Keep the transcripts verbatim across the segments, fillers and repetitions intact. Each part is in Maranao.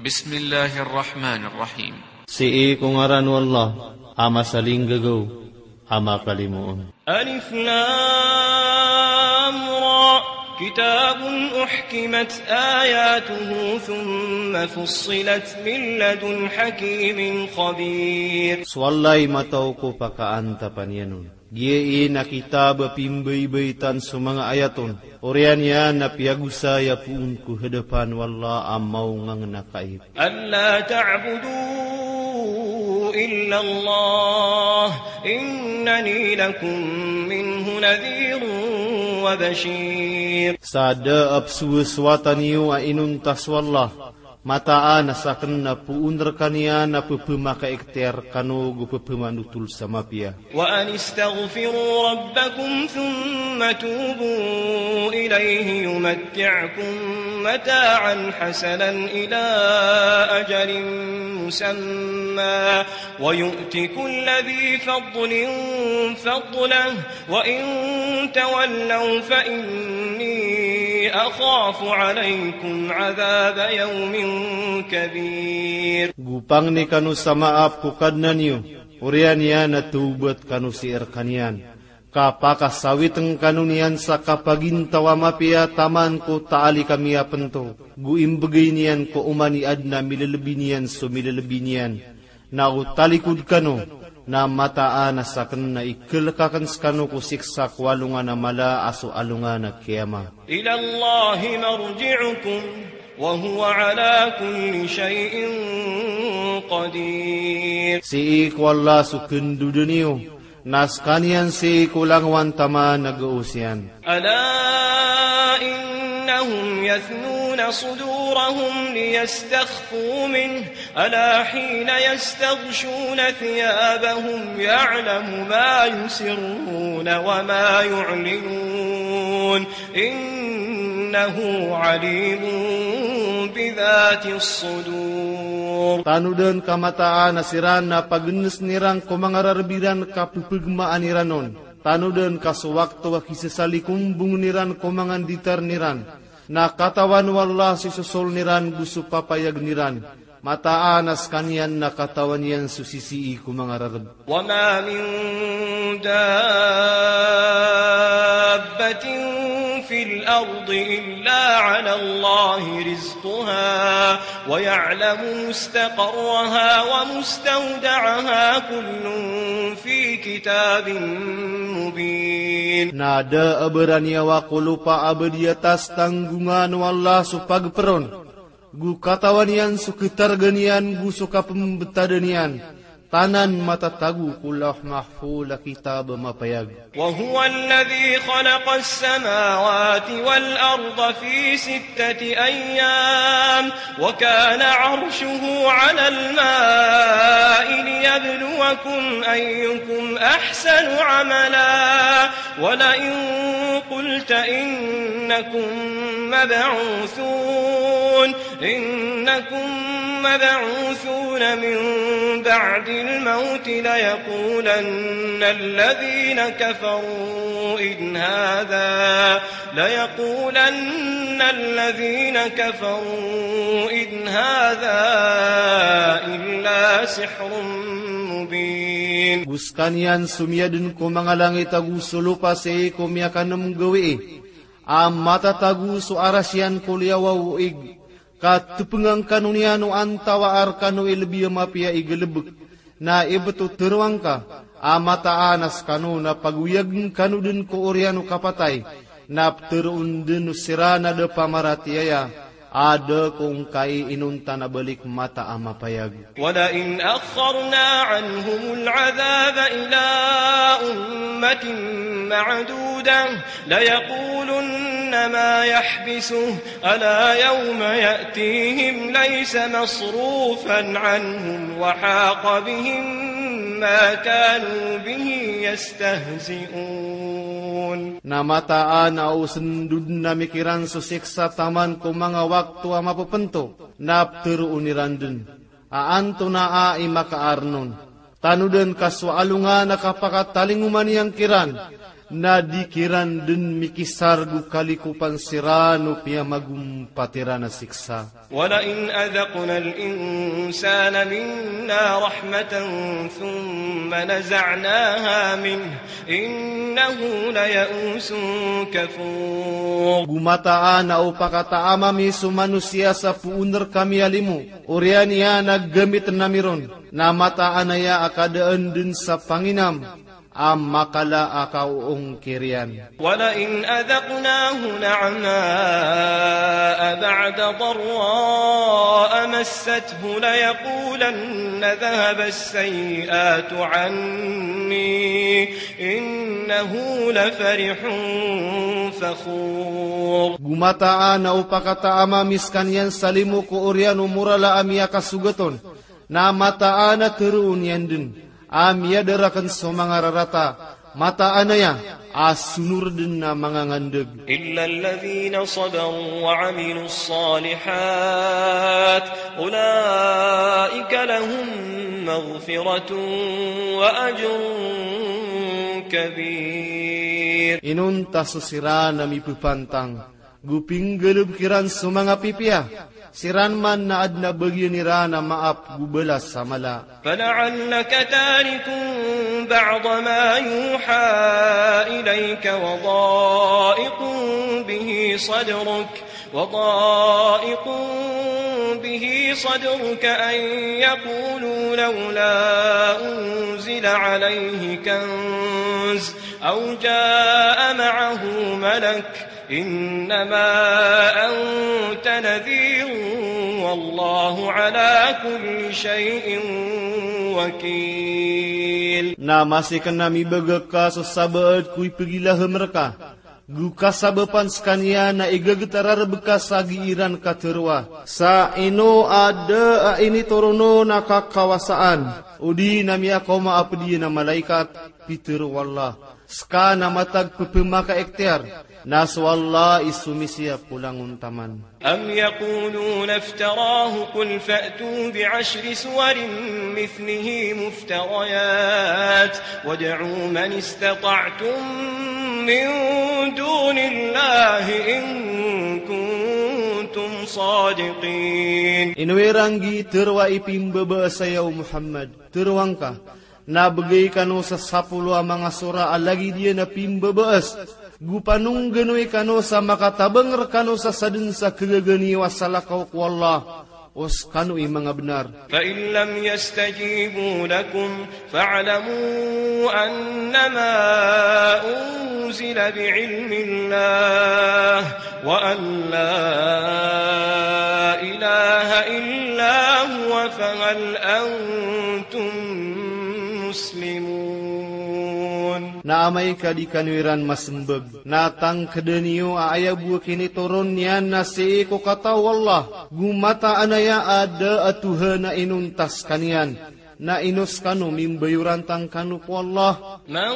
بسم الله الرحمن الرحيم. Sii ko ngaran o Allah, a masalinggagaw, a makalimoon. ألف لام را. كتاب أحكمت آياته ثم فصلت من لدن حكيم خبير. So Allah i matao ko pakaantapan iyan on. Giya i na kitab a pimbaybaytan so manga ayat on. Oriyan iyan na piyagosaya poon ko hadapan o Allah a maongangn a kaib. ألا تعبدوا إلا الله إنني لكم منه نذير وبشير. Sa da a psowasowatan iyo a inonta so Allah, mataan a saken na poon rekaniyan a pepemakaikhtiyar kano go pepemanotol sa mapiya. وأن استغفروا ربكم ثم توبوا إليه يمتعكم متاعا حسنا إلى أجل مسمى ويؤت كل ذي فضل فضله وإن تولوا فإني أخاف عليكم عذاب يوم كبير. Go pangni kano sa maap ko Kadnan iyo, oriyan iyan na tawbat kano sii rekaniyan. Kapakasawitn kano niyan sa kapagintaw a mapiya taman ko taali kami a pento. Go imbegay niyan ko oman i aden a milelebi niyan so milelebi niyan. Na o talikod kano, na mataan a saken na ikelek aken sekano ko siksa ko alongan a mala a so alongan a kiyama. إلى الله مرجعكم وهو على كل شيء قدير. Sii ko Allah so kendoden iyo, na sekaniyan sii ko langowan taman a gaos iyan. ألا إنهم يثنون صدورهم ليستخفوا منه ألا حين يستغشون ثيابهم يعلم ما يسرون وما يعلنون إنه عليم بذات الصدور. Tanodan ka mataan a siran na pagenesn iran ko manga rareb iran ka pepegmaan iran on. Tanodan ka so wakto a kisesalikombongn iran ko manga nditarn iran, na katawan o Allah so isosoln iran go so papayagn iran. Mataan a sekaniyan na katawan iyan so sisii ko manga rareb. وما من دابة في الأرض إلا على الله رزقها ويعلم مستقرها ومستودعها كل في كتاب مبين. Na da a baraniyawa ko lopa a ba di atas tanggongan o Allah so pagperon. Go katawan iyan so ketarga niyan go so kapembetad iyan. Tanan matatago ko Lawh Mahfuz a kitab a mapayag. وهو الذي خلق السماوات والأرض في ستة أيام وكان عرشه على الماء ليبلوكم أيكم أحسن عملا ولئن قلت إنكم مبعوثون إنكم مبعوثون من بعد الموت ليقولن الذين كفروا إن هذا، ليقولن الذين كفروا إن هذا إلا سحر مبين. Go sekaniyan so miyadn ko manga langit ago so lopa sii ko miyakanem gawii, a matatago so aras iyan ko liyawaw o ig. Ka tepengan kano niyan o antawaa rekano i lebi a mapiya i galebek. Na ibt o teroang ka a mataan a sekano na pagoyagn kano den ko oriyan o kapatay, na pteroon den o siran a da pamaratiyaya a da ko ngkai inonta na balik mata a mapayag. ولئن أخرنا عنهم العذاب إلى أمة معدودة ليقولن ما يحبسه ألا يوم يأتيهم ليس مصروفا عنهم وحاق بهم ما كانوا به يستهزئون. Na mataan a o sendoden ami kiran so siksa taman ko manga wakto a mapepento, na pteroon iran den a antonaa i makaaren on. Tanodan ka so alongan a kapakatalingoman iyan kiran, Na di kiran dn mikisar go kalikopan siran o piyamagompat iran a siksa. ولئن أذقنا الإنسان منا رحمة ثم نزعناها منه إنه ليئوس كفور. Go mataan a o pakataam ami so manosiya sa poon rkami a limo, oriyan iyan a gamitn ami ron, na mataan aya a kadaan dn sa panginam a makala a kaoongkir iyan. ولئن أذقناه نعماء بعد ضراء مسته ليقولن ذهب السيئات عني إنه لفرح فخور. Go mataan a o pakataam ami skaniyan sa limo ko oriyan o morala a miyakasogat on, na mataan a tharoon iyan dn a miyada rakn so manga rarata, mataan aya a sonor dn a mangangandg. إلا الذين صبروا وعملوا الصالحات أولئك لهم مغفرة وأجر كبير. Inonta so siran a mipepantang go pinggalbk iran so manga pipiya, siran man na adn a bagian iran a maap go balas a mala. فلعلك تارك بعض ما يوحى إليك وضائق به صدرك، وضائق به صدرك أن يقولوا لولا أنزل عليه كنز أو جاء معه ملك إنما أنت نذير والله على كل شيء وكيل. Na masi kna mibagak ka so sabaad ko ipgilahm rka, go kasabapan skaniyan a igagetar a rbka sa giiran katharo a, sa ino a da a initoron on a kakawasaan, odi na miyakaoma a pd iyan a malaikat, pitharo o Allah. Ska na matag pphamakaikhtiyar, na so Allah i somisiyap ko langon taman. أم يقولون افتراه قل فأتوا بعشر سور مثله مفتريات وادعوا من استطعتم من دون الله إن كنتم صادقين. Ino iran gii tharoa i pimbabaas aya o Muhammad, tharoa ngka, na bgay kano sa sapolo a manga sora a lagid iyan a pimbabaas, go panongganoy kano sa makatabang rkano sa sadn sa khagaga niyo a salakaw ko Allah, o skano i manga bnar. فإن لم يستجيبوا لكم فاعلموا أنما أنزل بعلم الله وأن لا إله إلا هو فهل أنتم مسلمون. Na amay ka di kano iran masmbag, na tangkda niyo a aya bo a kinitoron iyan na sii ko katao o Allah, go mataan aya a da a tohan a inonta skaniyan, na ino skano mimbayorantang kano ko Allah. من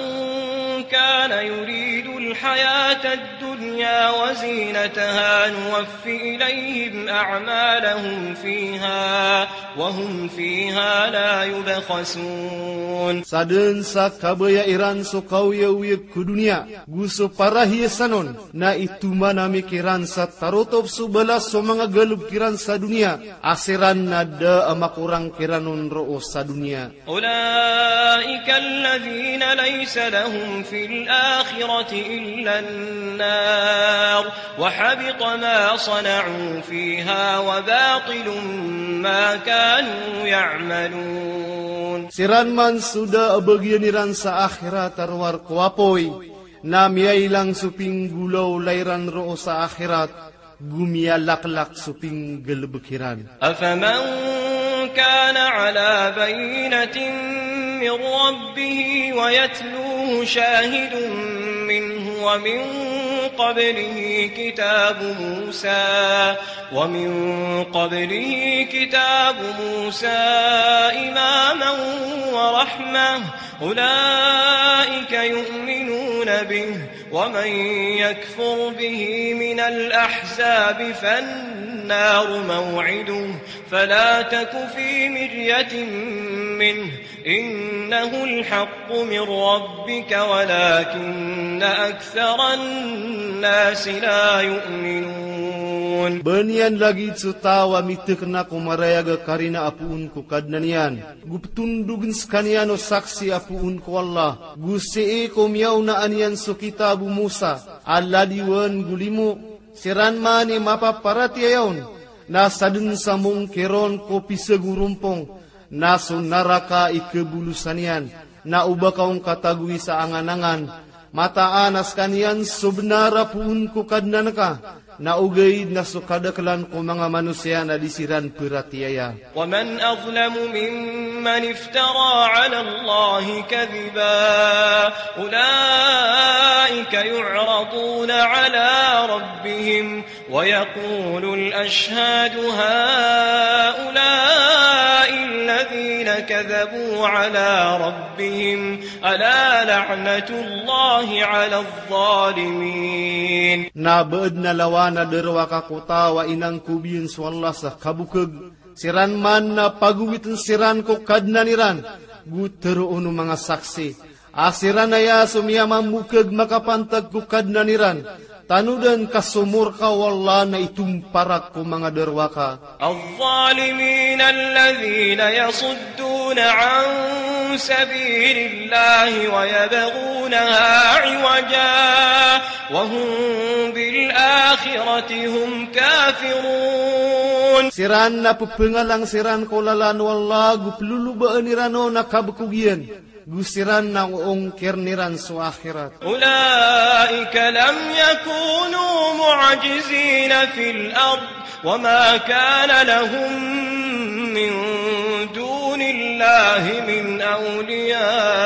كان يريد الحياة الدنيا وزينتها نوف إليهم أعمالهم فيها وهم فيها لا يبخسون. Sadn sa kabaya iran so kaoyagoyag ko doniya, go so parahiyasan on, na itoman ami kiran sa tarotop so balas so manga galbk iran sa doniya, a siran na da a makorang kiran on roo sa doniya. أولئك الذين ليس لهم في الآخرة إلا النار وحبط ما صنعوا فيها وباطل ما كانوا يعملون. Siran man so da a bagian iran sa akhirat a rowar ko apoy, na miyailang so pinggolawla iran roo sa akhirat, go miyalaklak so pinggalbk iran. أفمن كان على بينة من ربه ويتلوه شاهد منه ومن قبله كتاب موسى، ومن قبله كتاب موسى إماما ورحمة، أولئك يؤمنون به، ومن يكفر به من الأحزاب فالنار موعده، فلا تك في مرية منه، إنه الحق من ربك ولكن أكثر الناس لا يؤمنون. Ba niyan lagid so taw a mitekna ko marayag a karina a poon ko Kadnan iyan, go petondogn sekaniyan o saksi a poon ko Allah, go sii ko miyaonaan iyan so kitab o Musa a ladiwan go limo. Siran man i mapaparatiyaya on, na sadn sa mongkir on ko pisagorompong, na so naraka i kebolosan iyan, na o ba ka on katagoi sa anganangan. Mataan a sekaniyan so benar a poon ko Kadnan ka, na ogaid na so kadaklan ko manga manosiya na di siran peratiyaya. ومن أظلم ممن افترى على الله كذبا، أولئك يعرضون على ربهم ويقول الأشهاد هؤلاء الذين كذبوا على ربهم، ألا لعنة الله على الظالمين. Na ba adn a lawan a darowaka ko taw a inangkob iyan so Allah sa kabokeg. Siran man na pagowitn siran ko Kadnan iran, go teroon o manga saksi a siran aya so miyamamokeg makapantag ko Kadnan iran. Tanodan ka so morka o Allah na itomparak ko manga darowaka. الظالمين الذين يصدون عن سبيل الله ويبغونها عوجا وهم بالآخرة هم كافرون. Siran na pepengalang siran ko lalan o Allah, go pelolobaan iran on a kabekog iyan, go siran na oongkirn iran so akhirat. أولئك لم يكونوا معجزين في الأرض وما كان لهم من دون الله من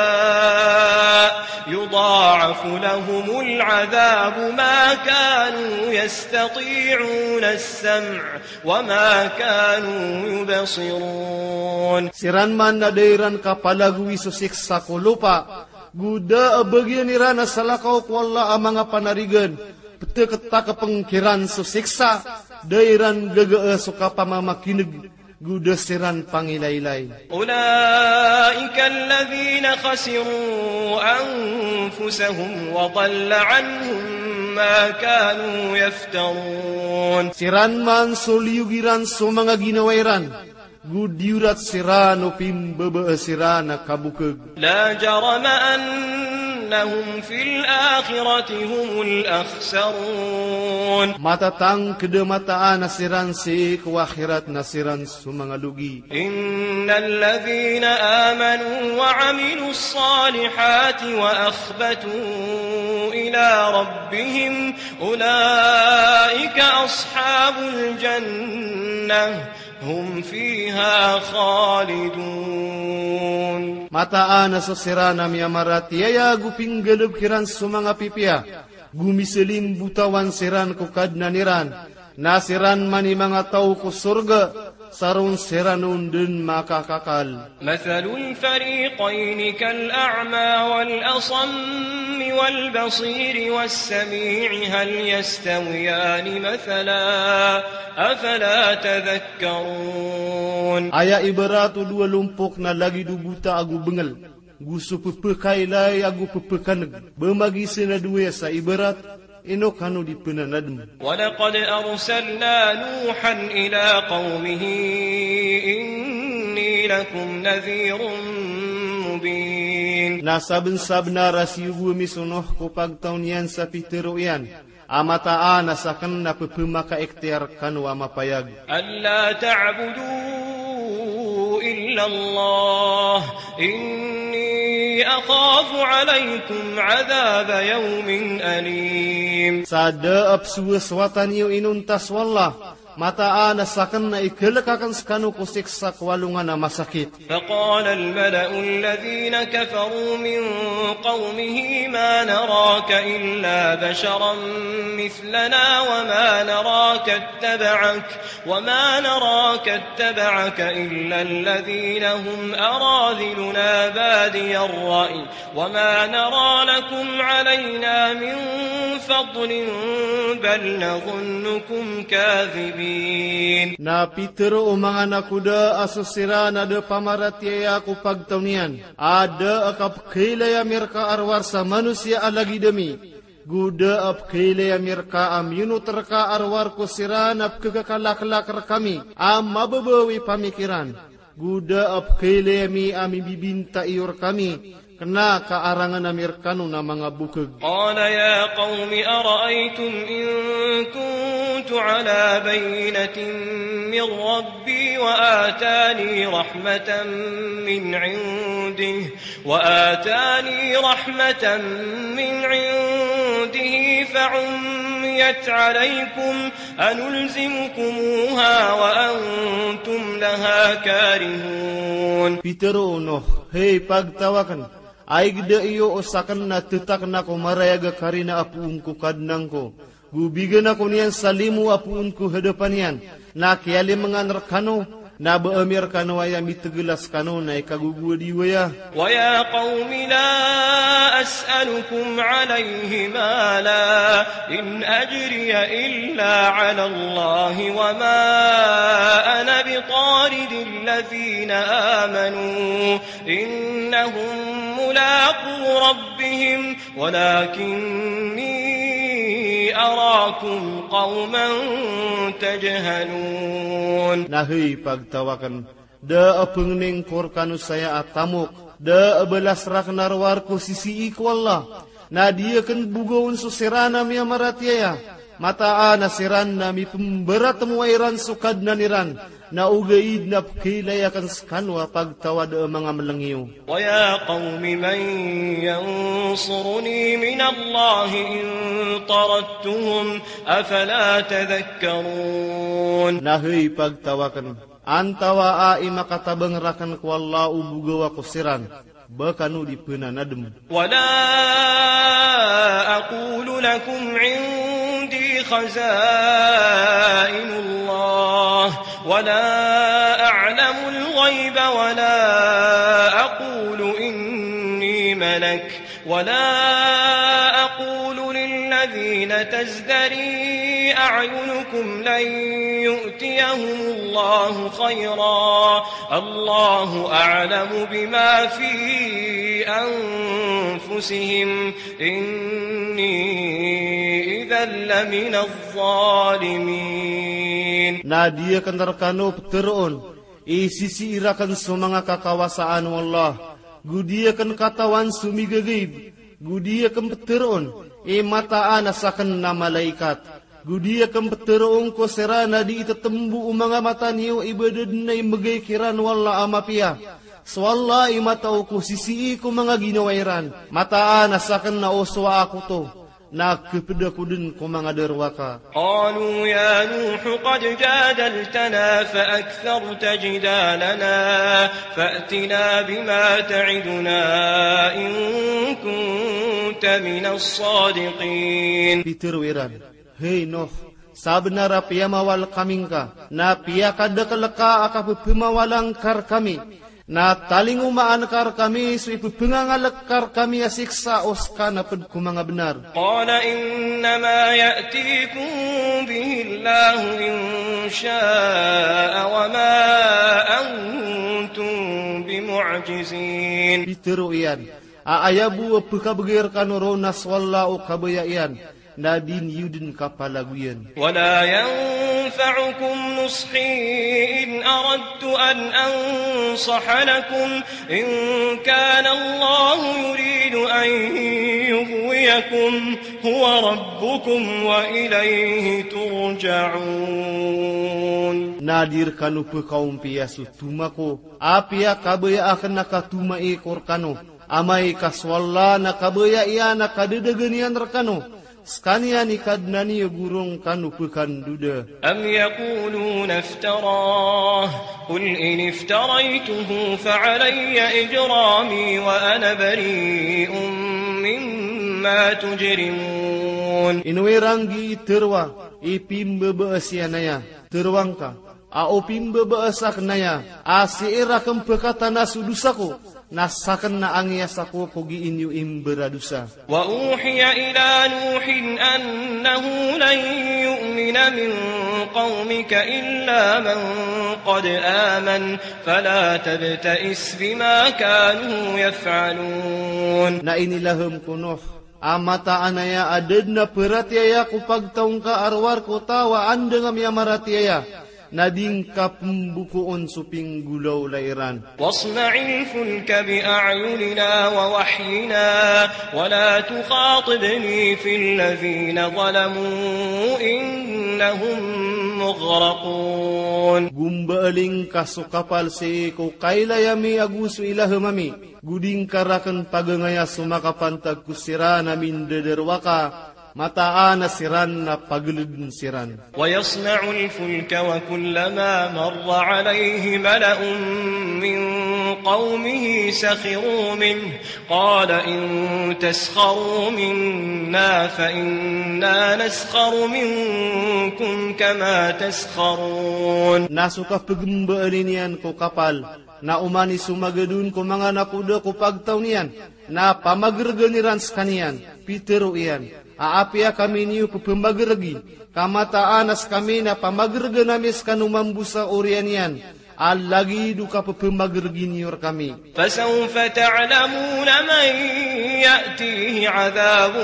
أولياء يضاعف لهم العذاب ما كانوا يستطيعون السمع وما كانوا يبصرون. Siran man na da iran kapalagowi so siksa ko lopa, go da a bagian iran a salakaw ko Allah a manga panarigan, petektakepeng kiran so siksa, da iran gagaa so kapamamakineg, go da siran pangilaylay. أولئك الذين خسروا أنفسهم وضل عنهم ما كانوا يفترون. Siran man so liyog iran so manga ginawa iran, go diyorat siran o pimbabaa siran a kabokeg. لا جرم أنهم في الآخرة هم الأخسرون. Matatangked a mataan a siran sii ko akhirat na siran so manga logi. إن الذين آمنوا وعملوا الصالحات وأخبتوا إلى ربهم أولئك أصحاب الجنة هم فيها خالدون. Mataan a so siran a miyamaratiyaya go pinggalebek iran so manga pipiya, go miselimbotawan siran ko Kadnan iran, na siran man i manga taw ko sorga, sa ron siran on den makakakal. مثل الفريقين كالأعمى والأصم والبصير والسميع هل يستويان مثلا أفلا تذكرون. Aya ibarat o dowa lompok na lagid o bota ago bengel, go so pepekaylay ago pepekaneg, ba magisen a dowa sa ibarat, ino kano di penanadem. ولقد أرسلنا نوحا إلى قومه إني لكم نذير مبين. Na sabensabenar a siyogo ami so Nuh ko pagtaw niyan sa pitero iyan, a mataan a saken na pepemakaikhtiyar kano a mapayag. ألا تعبدوا إلا الله إني أخاف عليكم عذاب يوم أليم. Sa da a pesowasowatan iyo inonta so Allah, Mataan a saken na ikelek aken sekano ko siksa ko alongan a masakit. فقال الملأ الذين كفروا من قومه ما نراك إلا بشرا مثلنا وما نراك اتبعك وما نراك اتبعك إلا الذين هم أراذلنا بادي الرأي وما نرى لكم علينا من فضل بل نظنكم كاذبين. Na pitero o manga nakoda a so siran a da pamaratiyaya ko pagtaw niyan, a da a kapekailaya mi reka a rowar sa manosiya a lagid ami. Go da a pekailaya mi reka a miyonot reka a rowar ko siran a pekekakalaklak rekami a mababaw i pamikiran. Go da a pekailaya mi a mibibinta iyo rekami kena ka arangen ami rekano na manga bokeg. قال يا قوم أرأيتم إن كنت على بينة من ربي وآتاني رحمة من عنده وآتاني رحمة من عنده فعميت عليكم أنلزمكموها وأنتم لها كارهون. Pitero o Noh, hay pagtaw aken, a igeda iyo o saken na tetakna ko marayag a karina a poon ko Kadnan ko, go bigan ako niyan sa limo a poon ko hadapan iyan, na kiyalimengan rekano, na ba ami rekano aya mitegela sekano na ikagogowad iyo aya. ويا قوم لا أسألكم عليه مالا إن أجري إلا على الله وما أنا بطارد الذين آمنوا إنهم ملاقو ربهم ولكني أراكم قوما تجهلون. Na hay pagtaw aken, da a pengening ko rekano saya a tamok, da a balas raken a rowar ko sisii ko Allah. Na di aken bogawen so siran a miyamaratiyaya, mataan a siran na mipembaratmowa iran so Kadnan iran, na ogaid na pekailaya aken sekano a pagtaw a da a manga meleng iyo. ويا قوم من ينصرني من الله إن طردتهم أفلا تذكرون. Na hay pagtaw aken, antawaa i makatabang raken ko Allah o bogawa ko siran, ba kano di penanadem. ولا أقول لكم عندي خزائن الله ولا أعلم الغيب ولا أقول إني ملك ولا أقول للذين تزدري أعينكم لن يؤتيهم الله خيرا الله أعلم بما في أنفسهم إني إذا لمن الظالمين. Na di aken rekano peteroon i sisii raken so manga kakawasaan o Allah, go di aken katawan so migagaib, go di aken peteroon i mataan a saken na malaikat, go di aken peteroon ko siran a di itetembo o manga mata niyo i ba da den a imegay kiran o Allah a mapiya. So Allah i matao ko sisii ko manga ginawa iran. Mataan a saken na o sowaa ko oto na keped ako den ko manga darowaka. قالوا يا نوح قد جادلتنا فأكثرت جدالنا فأتنا بما تعدنا إن كنت من الصادقين. Pitero iran, hay Noh, sabenar a piyamawal kami ngka, na piyakadekel ka a kapepemawalan ka rekami. Na talingomaan ka rekami so ipepengangalek ka rekami a siksa o seka na ped ko manga benar. قال إنما يأتيكم به الله إن شاء وما أنتم بمعجزين. Pitero iyan, a aya bo a pekabegay rekano ron na so Allah o kabaya iyan, na di niyo den kapalagoyan. ولا ينفعكم نصحي إن أردت أن أنصح لكم إن كان الله يريد أن يغويكم هو ربكم وإليه ترجعون. Na di rekano pekaompiya so toma ko, apiya kabaya aken a katomai ko rekano, amay ka so Allah na kabaya iyan a kadedagan iyan rekano, Skaniyan i Kadnan iyo, gurong kano pekandoda. أم يقولون افتراه، قل إن افتريته فعلي إجرامي وأنا بريء مما تجرمون. Ino iran gii teroa i pimbebees iyan aya, teroa ngka a o pimbebees aken aya, a sii raken pekatana so dosa ko, na saken na angiyas ako ko gii niyo imberadosa. وأوحي إلى نوح أنه لن يؤمن من قومك إلا من قد آمن فلا تبتئس بما كانوا يفعلون. Na inilahem ko Nuh a mataan aya a da den a peratiyaya ko pagtaw ngka a rowar ko taw a andang a miyamaratiyaya, na di ngka pembokoon so pinggolawla iran. واصنع الفلك بأعيننا ووحينا ولا تخاطبني في الذين ظلموا إنهم مغرقون. Gombaling ka so kapal sii ko kailay ami ago so ilahem ami. Go di ngka raken pagangaya so makapantag ko siran a mindadarowaka, mataan a siran na pageleden siran. ويصنع الفلك وكلما مر عليه ملأ من قومه سخروا منه قال إن تسخروا منا فإنا نسخر منكم كما تسخرون. Na so kapegembaalin iyan ko kapal, na oman i somagadon ko manga nakoda ko pagtaw niyan, na pamageregan iran sekaniyan, pitero iyan a apiya kami niyo pepemageregi, ka mataan a sekami na pamageregan ami sekano mambo sa oriyan iyan, a lagid o kapepemageregi niyo rekami. فسوف تعلمون من يأتيه عذاب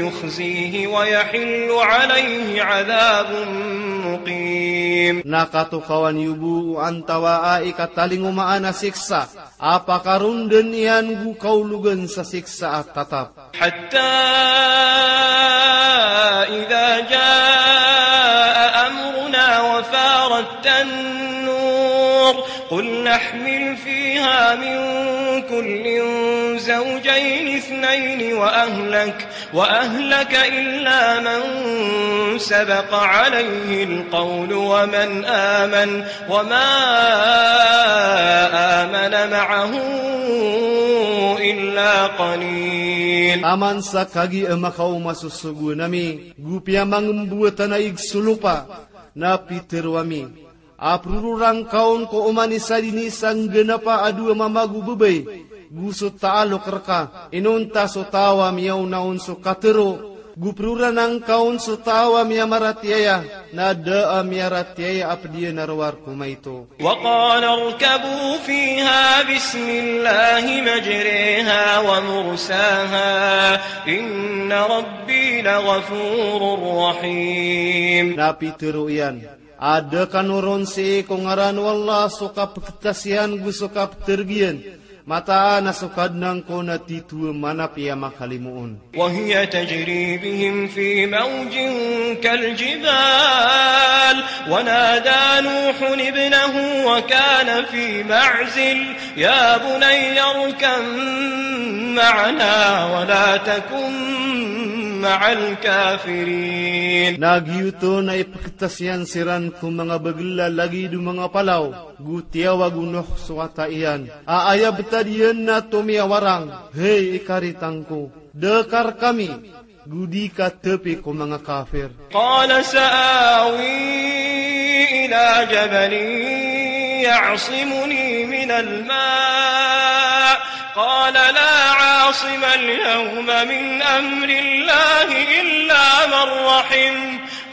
يخزيه ويحل عليه عذاب مقيم. Na katokawan iyo bo o antawaa i katalingomaan a siksa a pakaronden iyan go kaologan sa siksa a tatap. حتى إذا جاء أمرنا وفارت النور قلنا احمل فيها من كل زوجين اثنين وأهلك، وأهلك إلا من سبق عليه القول ومن آمن وما آمن معه إلا قليل. Taman sa kagiya makaoma so sogoan ami, go piyamangembowatan a ig so lopa, na pitero ami a perororan ka on ko oman i sadini sa nggenapa a dowa mama go babay, go so taalok reka, inonta so taw a miyaona on so katero, go perororan angka on so taw a miyamaratiyaya, na da a miyaratiyaya a ped iyan a rowar ko maito. وقال اركبوا فيها بسم الله مجريها ومرساها إن ربي لغفور رحيم. Na pitero iyan a da kano ron sii ko ngaran o Allah so kapeketasiyan go so kapetereg iyan, mataan a so Kadnan ko na tito a manapiya makalimoon. وهي تجري بهم في موج كالجبال ونادى نوح ابنه وكان في معزل يا بني اركب معنا ولا تكن مع الكافرين. Na giyoto na ipeketasiyan siran ko manga bagel a lagid o manga palaw, go tiyawag o Nuh so wata iyan a aya betad iyan na tomiyawarang, hay ikaritan ko, da ka rekami, go di ka tapi ko manga kafir. قال سآوي إلى جبل يعصمني من الماء قال لا عاصم اليوم من أمر الله إلا من رحم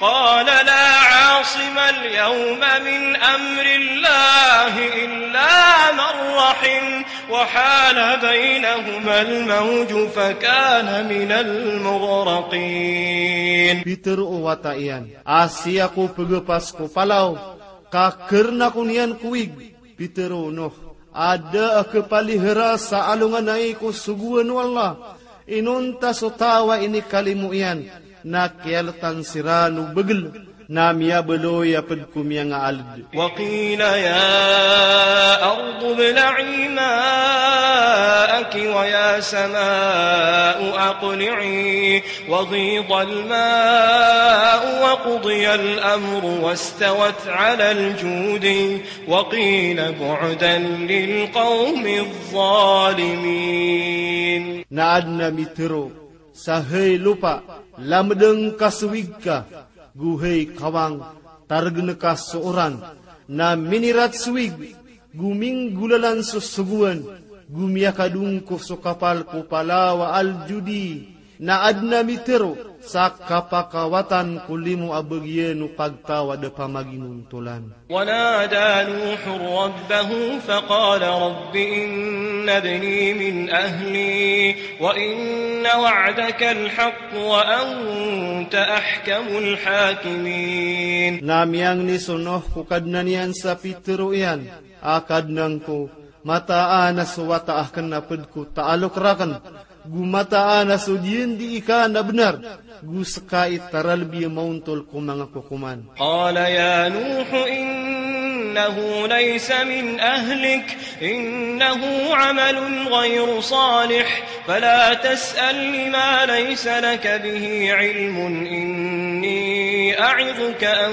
قال لا عاصم اليوم من أمر الله إلا من رحم وحال بينهما الموج فكان من المغرقين. Pitero o wata iyan a sii ako pegepas ko palaw, ka kerena ko niyan ko wig. Pitero o Nuh a da a kepalihera sa alongan ai ko sogoan o Allah. Inonta so taw a inikalimo iyan na kiyaletan siran o bagel, na miyabaloy a ped ko miyangaaled. وقيل يا أرض ابلعي ماءك ويا سماء أقلعي وغيض الماء وقضي الأمر واستوت على الجودي وقيل بعدا للقوم الظالمين. Na adn a mitharo sa hay lopa, lamdng ka so wig ka, go hay kawang, targn ka so oran, na minirat so wig, go minggolalan so sogoan, go miyakadongko so kapal ko palaw a Al-Judi, na adn a mitharo sa kapakawatan ko limo a bagian o pagtaw a da pamaginontolan. ونادى نوح ربه فقال رب إن ابني من أهلي وإن وعدك الحق وأنت أحكم الحاكمين. Na miyangni so Nuh ko Kadnan iyan sa pitharo iyan a, Kadnan ko, mataan a so wata akn a pd ko taalok rakn, go mataan a so diyandi ika na bnar, go ska i taralbi a maontol ko manga kokoman. قال يا نوح إنه ليس من أهلك إنه عمل غير صالح فلا تسألني ما ليس لك به علم إني أعظك أن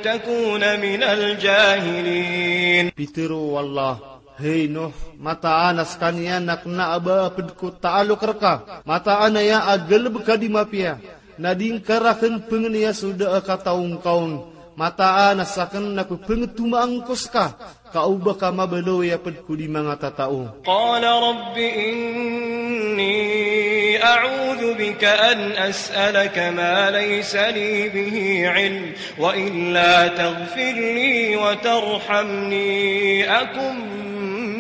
تكون من الجاهلين. Pitharo o Allah, hay Nuh, mataan a skaniyan a kna a ba a pd ko taalok rka, mataan aya a galbk a di mapiya, na di ngka rakn pngniya so da a kataw ngka on, mataan a sakn na pphangthomaan ko ska, ka o ba ka mabaloy a pd ko di manga tatao. قال رب إني أعوذ بك أن أسألك ما ليس لي به علم وإلا تغفر لي وترحمني أكن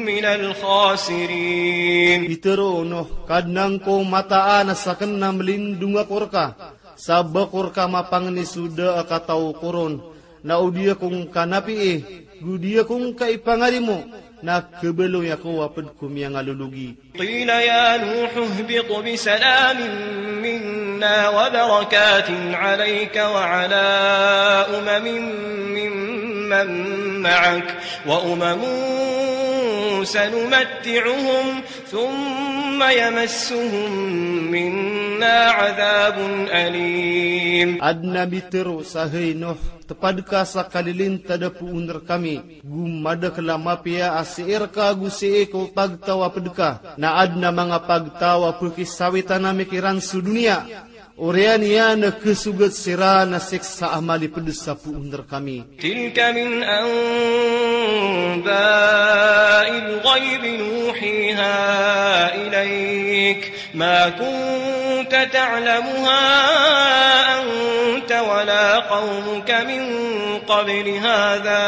من الخاسرين. Pitharo o Nuh, Kadnan ko, mataan a sakn na mlindong ako rka sa ba ko rka mapangni so da a kataw ko ron, na o di ako ngka napii, go di ako ngka ipangarimo, na khabaloy ako a pd ko miyangalologi. قيل يا نوح اهبط بسلام منا وبركات عليك وعلى أمم ممن معك وأمم سنمتعهم ثم يمسهم منا عذاب أليم. Adn a mitharo sa hay Nuh, tpad ka sa kalilintad a poon rkami, go madakl a mapiya a sii rka go sii ko pagtaw a pd ka, na adn a manga pagtaw a pkhisawitan ami kiran so doniya, oriyan iyan a khasogat siran a siksa a malipd sa poon rkami. تلك من أنباء الغيب نوحيها إليك ما كنت تعلمها أنت ولا قومك من قبل هذا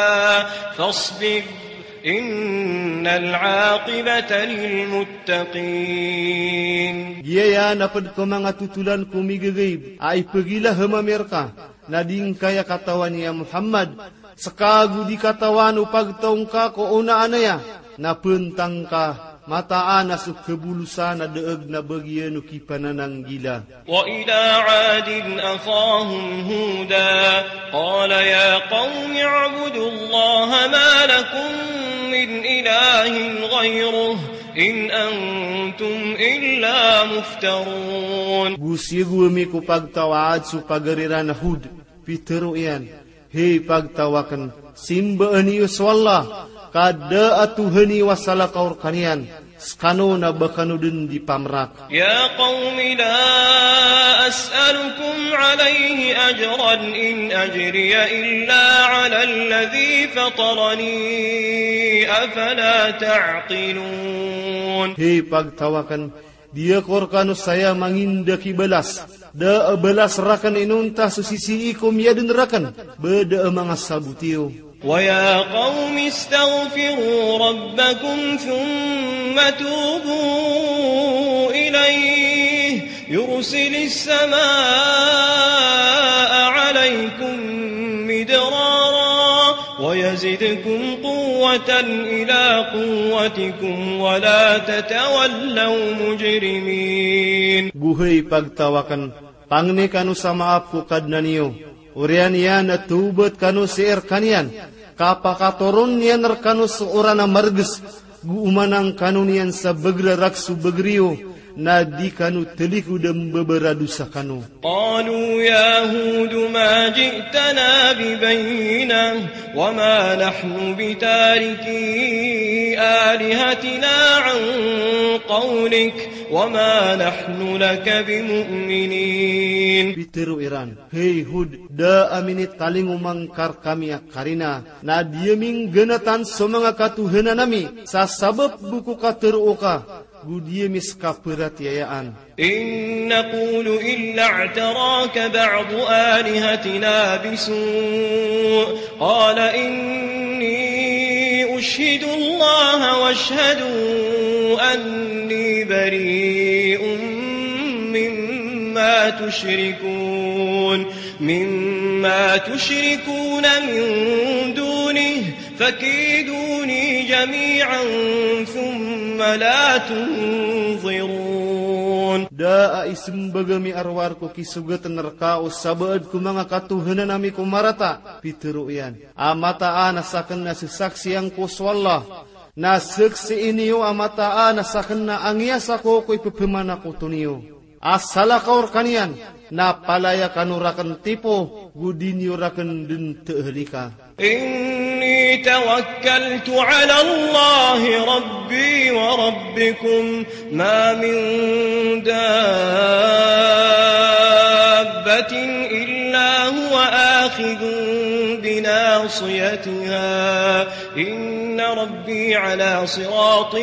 فاصبر إن العاقبة للمتقين. Giyaya na pd ko manga totolan ko migagaib a ipagilaham ami rka, na di ngka aya katawan ya Muhammad, ska go di katawan o pagtaw ngka ko onaan aya, na pntang ka, mataan a so khabolosan a daag na bagian o kipanananggila. وإلى عاد أخاهم هودا قال يا قوم اعبدوا الله ما لكم من إله غيره إن أنتم إلا مفترون. Go siyogo ami ko pagtaw a Ad so pagari ran a Hud, pitharo iyan, hay pagtaw akn, simbaa niyo so Allah, ka da a tohan iyo a salakaw rkaniyan, skano na ba kano dn di pamrak. يا قوم لا أسألكم عليه أجرا إن أجري إلا على الذي فطرني أفلا تعقلون. Hay pagtaw akn, di ako rkano saya manginda ki balas. Da a balas rakn inonta so sisii ko miyadn rakn, ba da a manga sabot iyo. ويا قوم استغفروا ربكم ثم توبوا إليه يرسل السماء عليكم مدرارا ويزدكم قوة إلى قوتكم ولا تتولوا مجرمين. Go hay pagtaw akn, pangni kano sa maap ko Kadnan iyo, oriyan iyan a tawbat kano sii rkaniyan, ka pakatoron iyan rkano so oran a margs, Go oman angkano niyan sa bgr a rakhs o bgr iyo, na di kano tlikod a mbabaradosa kano. قالوا يا هود ما جئتنا ببينة وما نحن بتاركي آلهتنا عن قولك وما نحن لك بمؤمنين. Pitharo iran, "Hay Hud, da a minitalingoma ngka rkami a karina, na di ami nggnatan so manga katohanan ami sa sabap bo ko katharo ka, go di ami ska pharatiyayaan." إن نقول إلا اعتراك بعض آلهتنا بسوء قال إني أشهد الله واشهدوا أني بريء مما تشركون، مما تشركون من دونه فكيدوني جميعا ثم لا تنظرون. Da a ismbag ami a rowar ko kisogatn rka o sabaad ko manga katohanan ami ko marata, pitharo iyan, a mataan a sakn na sasaksian ko so Allah, na saksii niyo a mataan a sakn na angiyasa ko ko ipphamanakoto niyo a salakaw rkaniyan, na palaya kano rakn tipo, go di niyo rakn dn thalika. إني توكلت على الله ربي وربكم ما من دابة إلا هو آخذ بناصيتها إن ربي على صراط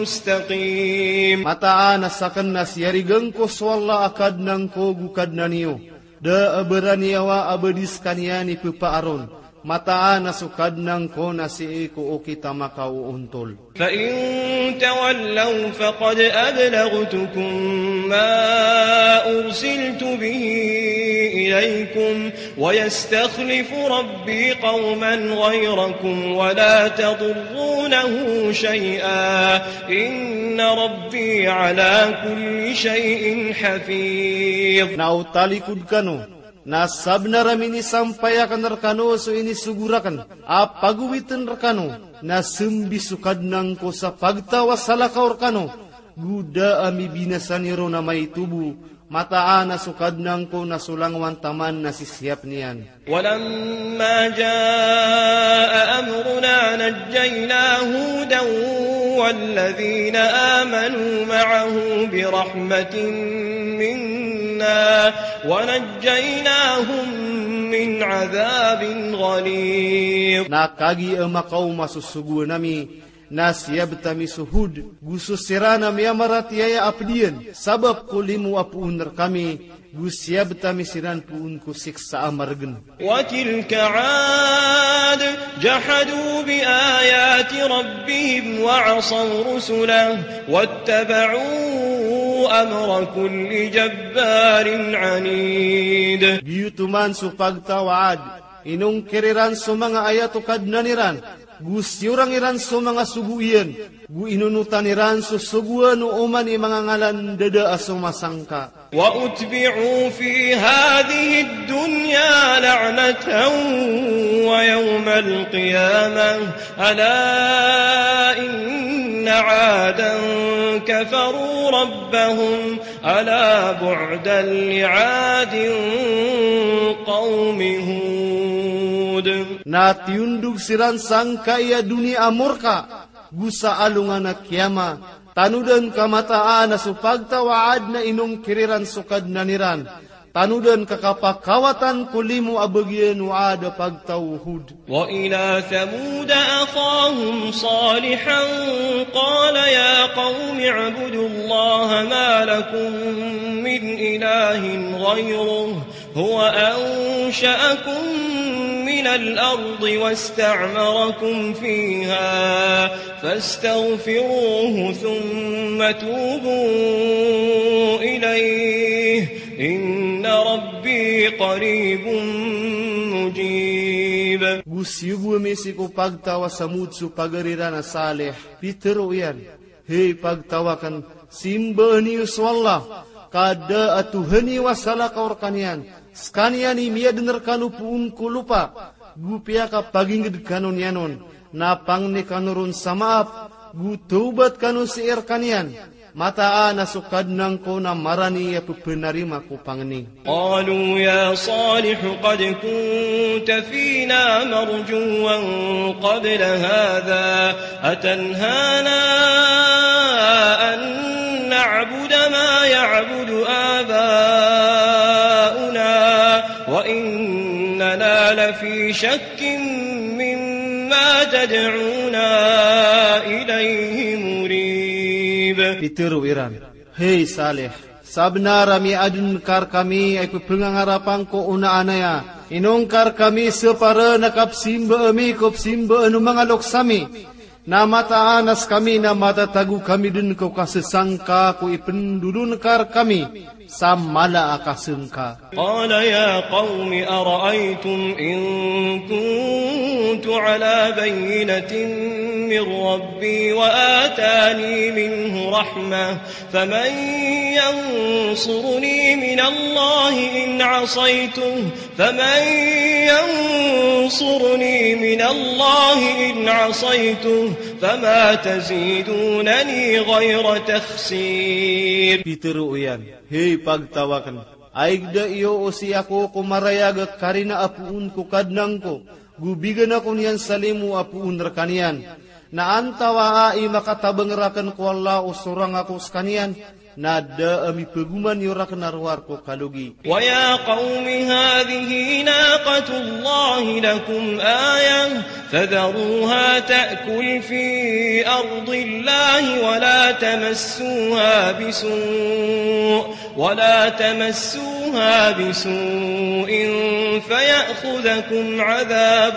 مستقيم. Mataan a sakn na siyarigan ko so Allah a Kadnan ko go Kadnan iyo. Da a baraniyawa a ba di skaniyan i pphaaron. Mataan a so Kadnan ko na sii ko okit a makaoontol. فإن تولوا فقد أبلغتكم ما أرسلت به إليكم ويستخلف ربي قوما غيركم ولا تضرونه شيئا إن ربي على كل شيء حفيظ. Na o talikod kano, na sabnar a minisampay akn rkano so inisogo rakn a pagowitn rkano, na smbis o Kadnan ko sa pagtaw a salakaw rkano, go da a mibinasa niyo ron a maito bo, mataan a so Kadnan ko na so langowan taman na sisiyap niyan. ولما جاء أمرنا نجينا هودا والذين آمنوا معه برحمة منا ونجيناهم من عذاب غليظ. Na kagiya makaoma so sogoan ami, na siyabt ami so Hud, go so siran a miyamaratiyaya a pd iyan, sabap ko limo a poon rkami, go siyabt ami siran poon ko siksa a margn. وتلك عاد جحدوا بآيات ربهم وعصوا رسله واتبعوا أمر كل جبار عنيد. Giyoto man so pagtaw a Ad, inongkir iran so manga ayat o Kadnan iran, go siyorang iran so manga sogo iyan, go inonotan iran so sogoan o oman i manga ngalan dada a somasangka. وأتبعوا في هذه الدنيا لعنة ويوم القيامة ألا إن عادا كفروا ربهم ألا بعدا لعاد قوم هود. Na tiyondog siran sangkai a doniya a morka, go sa alongan a kiyama, tanodan ka mataan a so pagtaw a Ad na inongkir iran so Kadnan iran, tanodan ka kapakawatan ko limo a bagian o Ad a pagtaw o Hud. وإلى ثمود أخاهم صالحا قال يا قوم اعبدوا الله ما لكم من إله غيره هو أنشأكم من الأرض واستعمركم فيها فاستغفروه ثم توبوا إليه إن ربي قريب مجيب. Go siyogo ami sii ko pagtaw a Samud so pagari ran a Salih, pitharo iyan, "Hay pagtaw akn, simbaa niyo so Allah, ka da a tohan iyo a salakaw rkaniyan, skaniyan i miyadn rkano poon ko lopa, go piyakapagingd kano niyan on, na pangni kano ron sa maap, Go tawbat kano sii rkaniyan. Mataan a so Kadnan ko na marani a pephanarima ko pangni. قالوا يا صالح قد كنت فينا مرجوا قبل هذا أتنهانا أن نعبد ما يعبد آباؤنا وإننا لفي شك مما تدعونا إليه مريب. Pitharo iran, Hay Salih, sabnar a miyaaden ka rkami a ipephangangarap angko o onaan aya. Inong ka rkami separen a kapesimbaa mi ko pesimbaan o manga loks ami. Na mataan a sekami na matatago kami den ko kasesangka ko ipendolon ka rkami sa mala a kasengka. قال يا قوم أرأيتم إن كنت على بينة من ربي وآتاني منه رحمة فمن ينصرني من الله إن عصيته فمن ينصرني من الله إن عصيته فما تزيدونني غير تخسير. Pitharo iyan, Hay pagtaw aken, aigda iyo o sii ako ko marayag a karina a poon ko Kadnan ko, go bigan ako niyan sa limo a poon rkaniyan. Na antawaa i makatabang raken ko Allah o sorang ako sekaniyan, na da a mipegoman iyo raken a rowar ko kalogi. ويا قوم هذه ناقة الله لكم آية فذروها تأكل في أرض الله ولا تمسوها بسوء ولا تمسوها بسوء فيأخذكم عذاب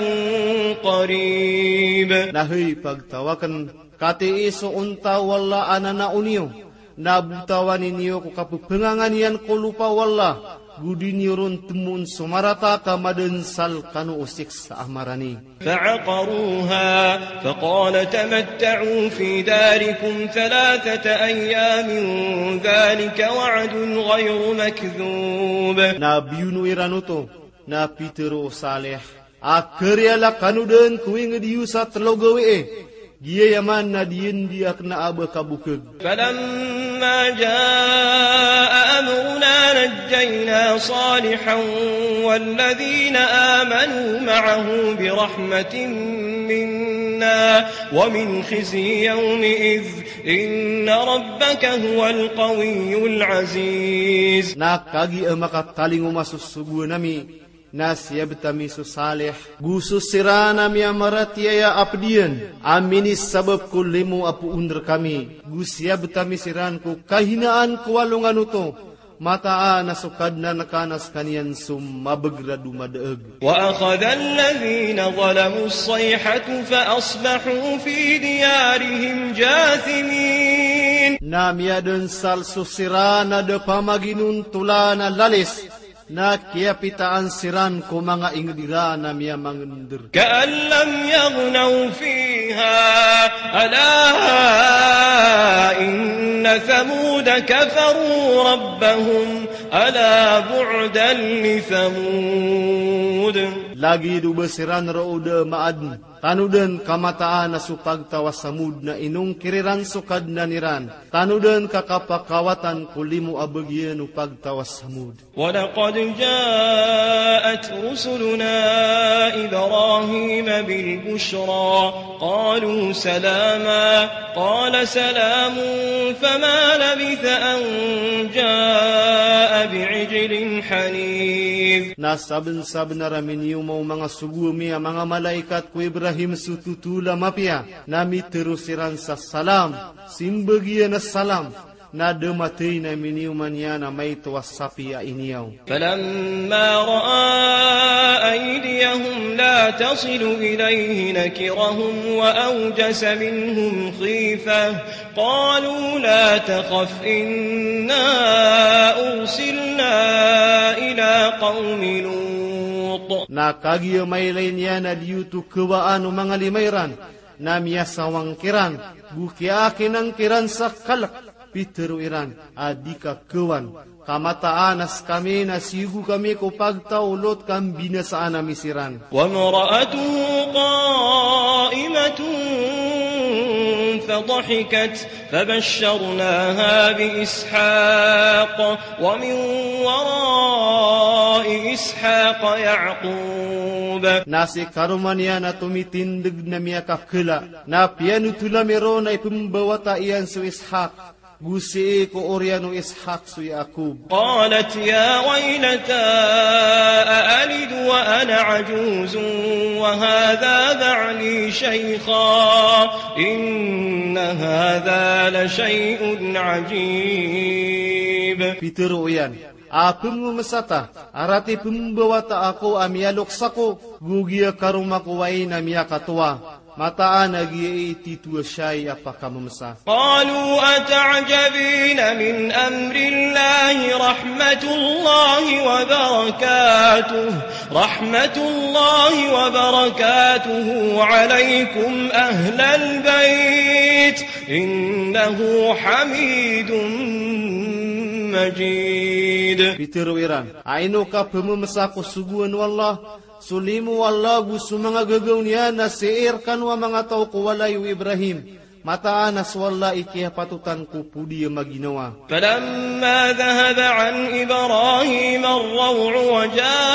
قريب. Na hay pagtaw aken, katii so onta o Allah a nanao niyo, na botawan iyo ko kapephangangan iyan ko lopa o Allah, go di niyo ron temoon so marata ka madensal kano o siksa a marani. فعقروها فقال تمتعوا في داركم ثلاثة أيام ذلك وعد غير مكذوب. Na biyono iran oto, na pitharo o Salih, a kariya la kano den ko inged iyo sa telo gawii. Giyaman na di andi a kena a ba kabokeg. فلما جاء أمرنا نجينا صالحا والذين آمنوا معه برحمة منا ومن خزي يومئذ إن ربك هو القوي العزيز. Na kagiya makatalingoma so sogoan ami, na siyabet ami so Salih, go so siran a miyamaratiyaya a ped iyan, a minisabap ko limo a poon rekami, go siyabet ami siran ko kahinaan ko alongan oto, mataan a so Kadnan ka na sekaniyan so mabeg rado madaeg. وأخذ الذين ظلموا الصيحة فأصبحوا في ديارهم جاثمين. Na miyadensal so siran a da pamaginontolan a lalis, na kiyapitaan siran ko manga inged iran a miyamangender. كأن لم يغنوا فيها ألا إن ثمود كفروا ربهم ألا بعدا لثمود. Lagid o ba siran roo da maaden. Tanoden ka mataan a so pagtaw a Samud na inongkir iran so Kadnan iran. Tanoden ka kapakawatan ko limo a bagian o pagtaw a Samud. ولقد جاءت رسلنا إبراهيم بالبشرى قالوا سلاما قال سلام فما لبث أن جاء بعجل حنيذ. Na sabensabenar a miniyoma o manga sogo ami a manga malaikat ko Ibrahim so totol a mapiya, na mitharo siran sa salam, simbagian a salam, na da mathay na miniyoma niyan a maito a sapi a iniyaw. فلما رأى أيديهم لا تصل إليه نكرهم وأوجس منهم خيفة قالوا لا تخف إنا أرسلنا إلى قوم لوط. Na kagiya mailay niyan a di oto kawaan o manga lima iran, na miyasawang kiran, go kiyaakinan kiran sa kalek, pitharo iran a di ka kawan, ka mataan a sekami na siyogo kami ko pagtaw o Lot ka mbinasaan ami siran. وامرأته قائمة فضحكت فبشرناها بإسحاق ومن وراء إسحاق يعقوب. Na sii karoma niyan a tomitindeg na miyakakela, na piyanotolam iron a ipembawata iyan so Ishaq, go sii ko oriyan o Ishaq so Yaqub. قالت يا ويلتى أألد وأنا عجوز وهذا بعلي شيخا إن هذا لشيء عجيب. Pitero iyan a pememesa ta, a rati pembawata ako a miyaloks ako, go giya karoma ko wain a miyakatowa. Mataan a giya i titho a shayi a pakamemesa. قالوا أتعجبين من أمر الله رحمة الله وبركاته، رحمة الله وبركاته عليكم أهل البيت إنه حميد مجيد. Pitero iran a ino ka pememesa ko sogoan o Allah, so limo o Allah go so manga gagaw niyan a sii rekano a manga taw ko walay o Ibrahim. Mataan a so Allah i kiyapatotan ko podi a maginawa. فلما ذهب عن إبراهيم الروع وجاءته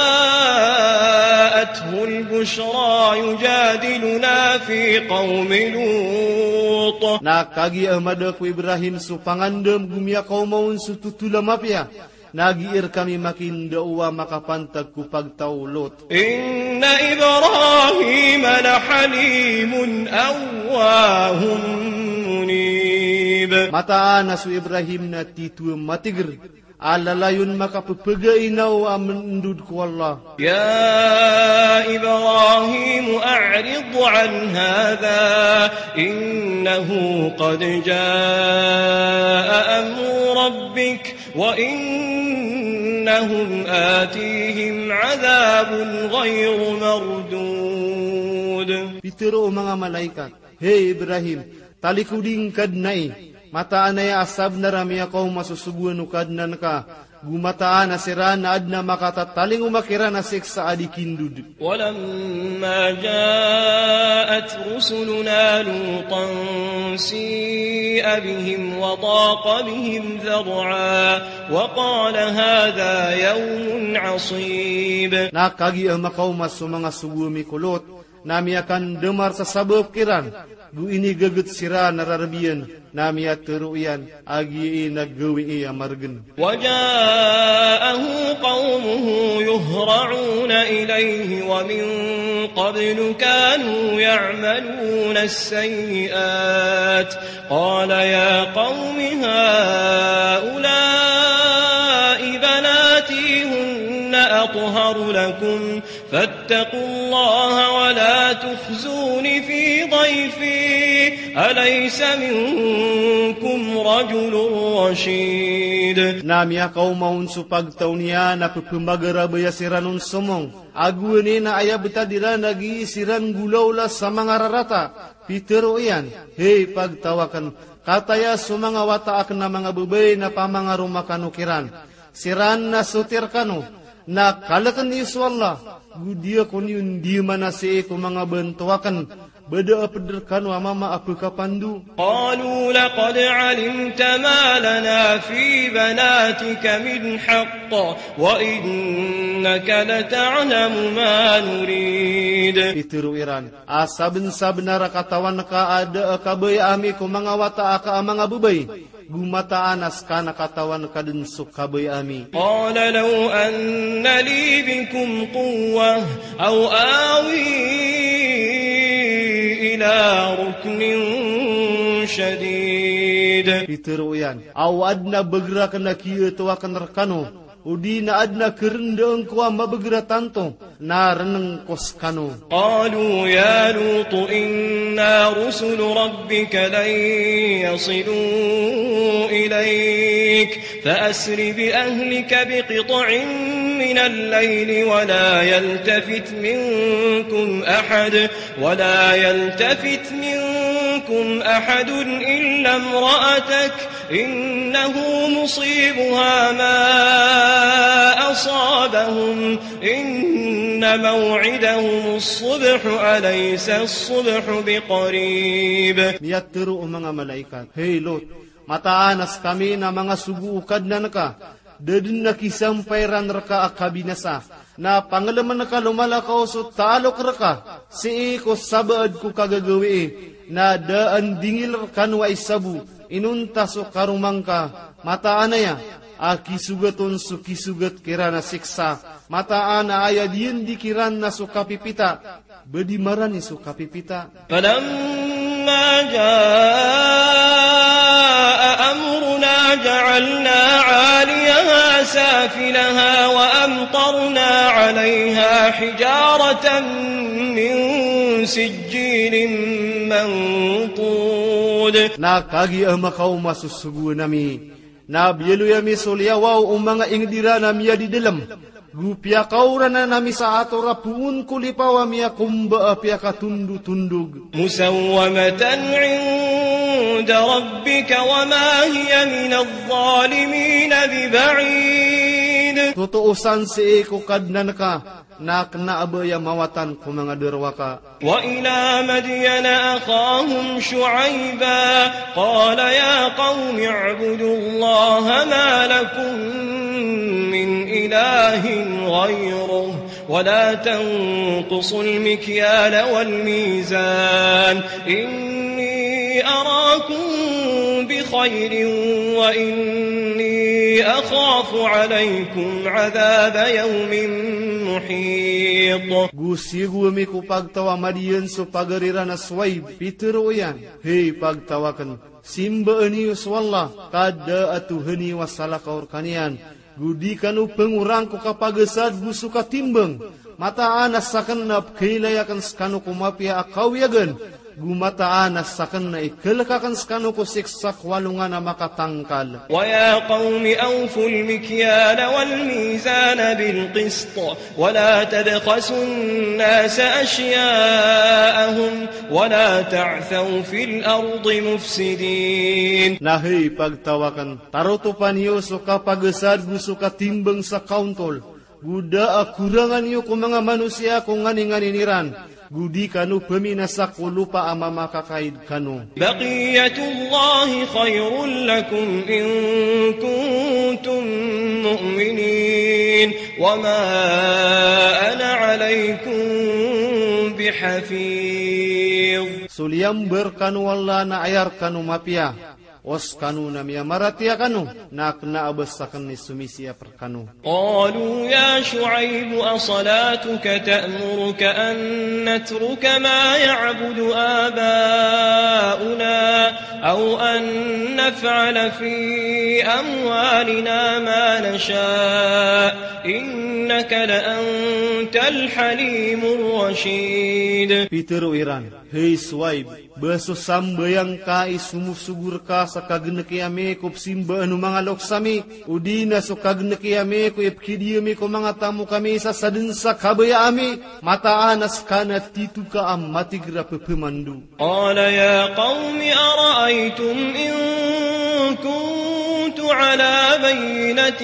البشرى يجادلنا في قوم لوط. Na kagiya mada ko Ibrahim so pangandam go miyakaoma on so totol a mapiya, na giya rekami makindaowa makapantag ko pagtaw o Lot. إن إبراهيم لحليم أواه منيب. Mataan a so Ibrahim na titho a matiger a lalayon makapepegainaw a mendod ko Allah. يا إبراهيم أعرض عن هذا إنه قد جاء أمر ربك وإنهم آتيهم عذاب غير مردود. Pitero o manga malaikat, hey Ibrahim, talikodi ngka den ai. Mataan aya a sabenar a miyakaoma so sogoan o Kadnan ka, go mataan a siran na aden a makatatalingoma kiran a siksa a di kindod. ولما جاءت رسلنا لوطا سيء بهم وضاق بهم ذرعا وقال هذا يوم عصيب. Na kagiya makaoma so manga sogo ami ko Lot, na miyakandemar sa sabap kiran, go inigeget siran a rareb iyan, na miyatero iyan a giya i na gawii a maregen. وجاءه قومه يهرعون إليه ومن قبل كانوا يعملون السيئات قال يا قوم هؤلاء بناتي هن أطهر لكم فاتقوا الله ولا تخزون في ضيفي أليس منكم رجل رشيد. Na miyakaoma on so pagtaw niyan a pepemagarabaya siran on somong, ago aya betad iran a giya siran golaola sa manga rarata. Pitero iyan, hey pagtaw aken, kataya so manga wata aken a manga bebay na pamangaroma kano kiran. Siran na soti rekano, na kaleken iyo so Allah, go di ako niyo ndiyaman a sii ko manga banto aken, ba da a ped rekano a mama a pekapando. قالوا لقد علمت ما لنا في بناتك من حق وإنك لتعلم ما نريد. Pitero iran a sabensabenar a katawan ka a da a kabaya ami ko manga wata aka a manga bebay, go mataan a seka na katawan ka den so kabaya ami. قال لو أن لي بكم قوة أو آوي إلى ركن شديد. Pitero iyan a o aden a beger aken a kiyato aken rekano, odi na aden a kerendaan ko a mabeger a tanto, na reneng ko sekano. قالوا يا لوط إنا رسل ربك لن يصلوا إليك فأسر بأهلك بقطع من الليل ولا يلتفت منكم أحد، ولا يلتفت منكم أحد إلا امرأتك إنه مصيبها ما أصابهم إن موعدهم الصبح أليس الصبح بقريب. Miyatharo o manga malaikat, "Hay Lot, mataan a skami na manga sogo o Kadnan ka, da dn a kisampay ran rka a kabinasa, na panglmn ka lomalakaw so taalok rka sii ko sabaad ko kagagawii, na da a ndingil rkano a isabo inonta so karoma ngka, mataan aya a kisogat on so kisogat kiran a siksa, mataan a aya diyandi kiran na so kapipita." Ba di marani so kapipita. فلما جاء أمرنا جعلنا عاليها سافلها وأمطرنا عليها حجارة من سجيل منضود. Na kagiya makaoma so sogoan ami, na biyaloy ami so liyawaw o manga ingd iran a miyadidlm, go piyakaoranan ami sa ator a poon ko lipaw a miyakomba a piyakatondotondog. مسومة عند ربك وما هي من الظالمين ببعيد. Totoo san sii ko Kadnan ka, na kna a ba aya mawatan ko manga darowaka. وإلى مدين أخاهم شعيبا قال يا قوم اعبدوا الله ما لكم من إله غيره ولا تنقصوا المكيال والميزان إني أراكم بخير وإني أخاف عليكم عذاب يوم محيط. Go siyogo ami ko pagtaw a Madiyan so pagari ran a Shuaib, pitharo iyan, "Hay pagtaw akn, simbaa niyo so Allah, ka da a tohan iyo a salakaw rkaniyan, go di kano pngorang ko kapagasad go so katimbang. Mataan a sakn na pkhailay akn skano ko mapiya a kawiyagan, go mataan a sakn na ikalk akn skano ko siksa ko alongan a makatangkal." ويا قوم أوفوا المكيال والميزان بالقسط ولا تبخسوا الناس أشياءهم ولا تعثوا في الأرض مفسدين. Na hay pagtaw akn, tarotopa niyo so kapagasad go so katimbang sa kaontol, go da a koranga niyo ko manga manosiya ko nganinganin iran, go di kano pminasa ko lopa a mamakakaid kano. بقية الله خير لكم إن كنتم مؤمنين وما أنا عليكم بحفيظ. So liyambar kano o Allah na aya rkano mapiya, o skano na miyamaratiyaya kano, na kna a ba sakn i somisiyap rkano. قالوا يا شعيب أصلاتك تأمرك أن نترك ما يعبد آباؤنا أو أن نفعل في أموالنا ما نشاء إنك لأنت الحليم الرشيد. Pitharo iran, "Hay Shuaib, ba so sambayang ka i somosogo rka sa kagnki ami ko psimbaan o manga loks ami, odi na so kagnki ami ko ipkhidi ami ko manga tamok ami sa sadn sa kabaya ami, mataan a ska na tito ka a matig a pphamando." قال يا قوم أرأيتم إن كنت على بينة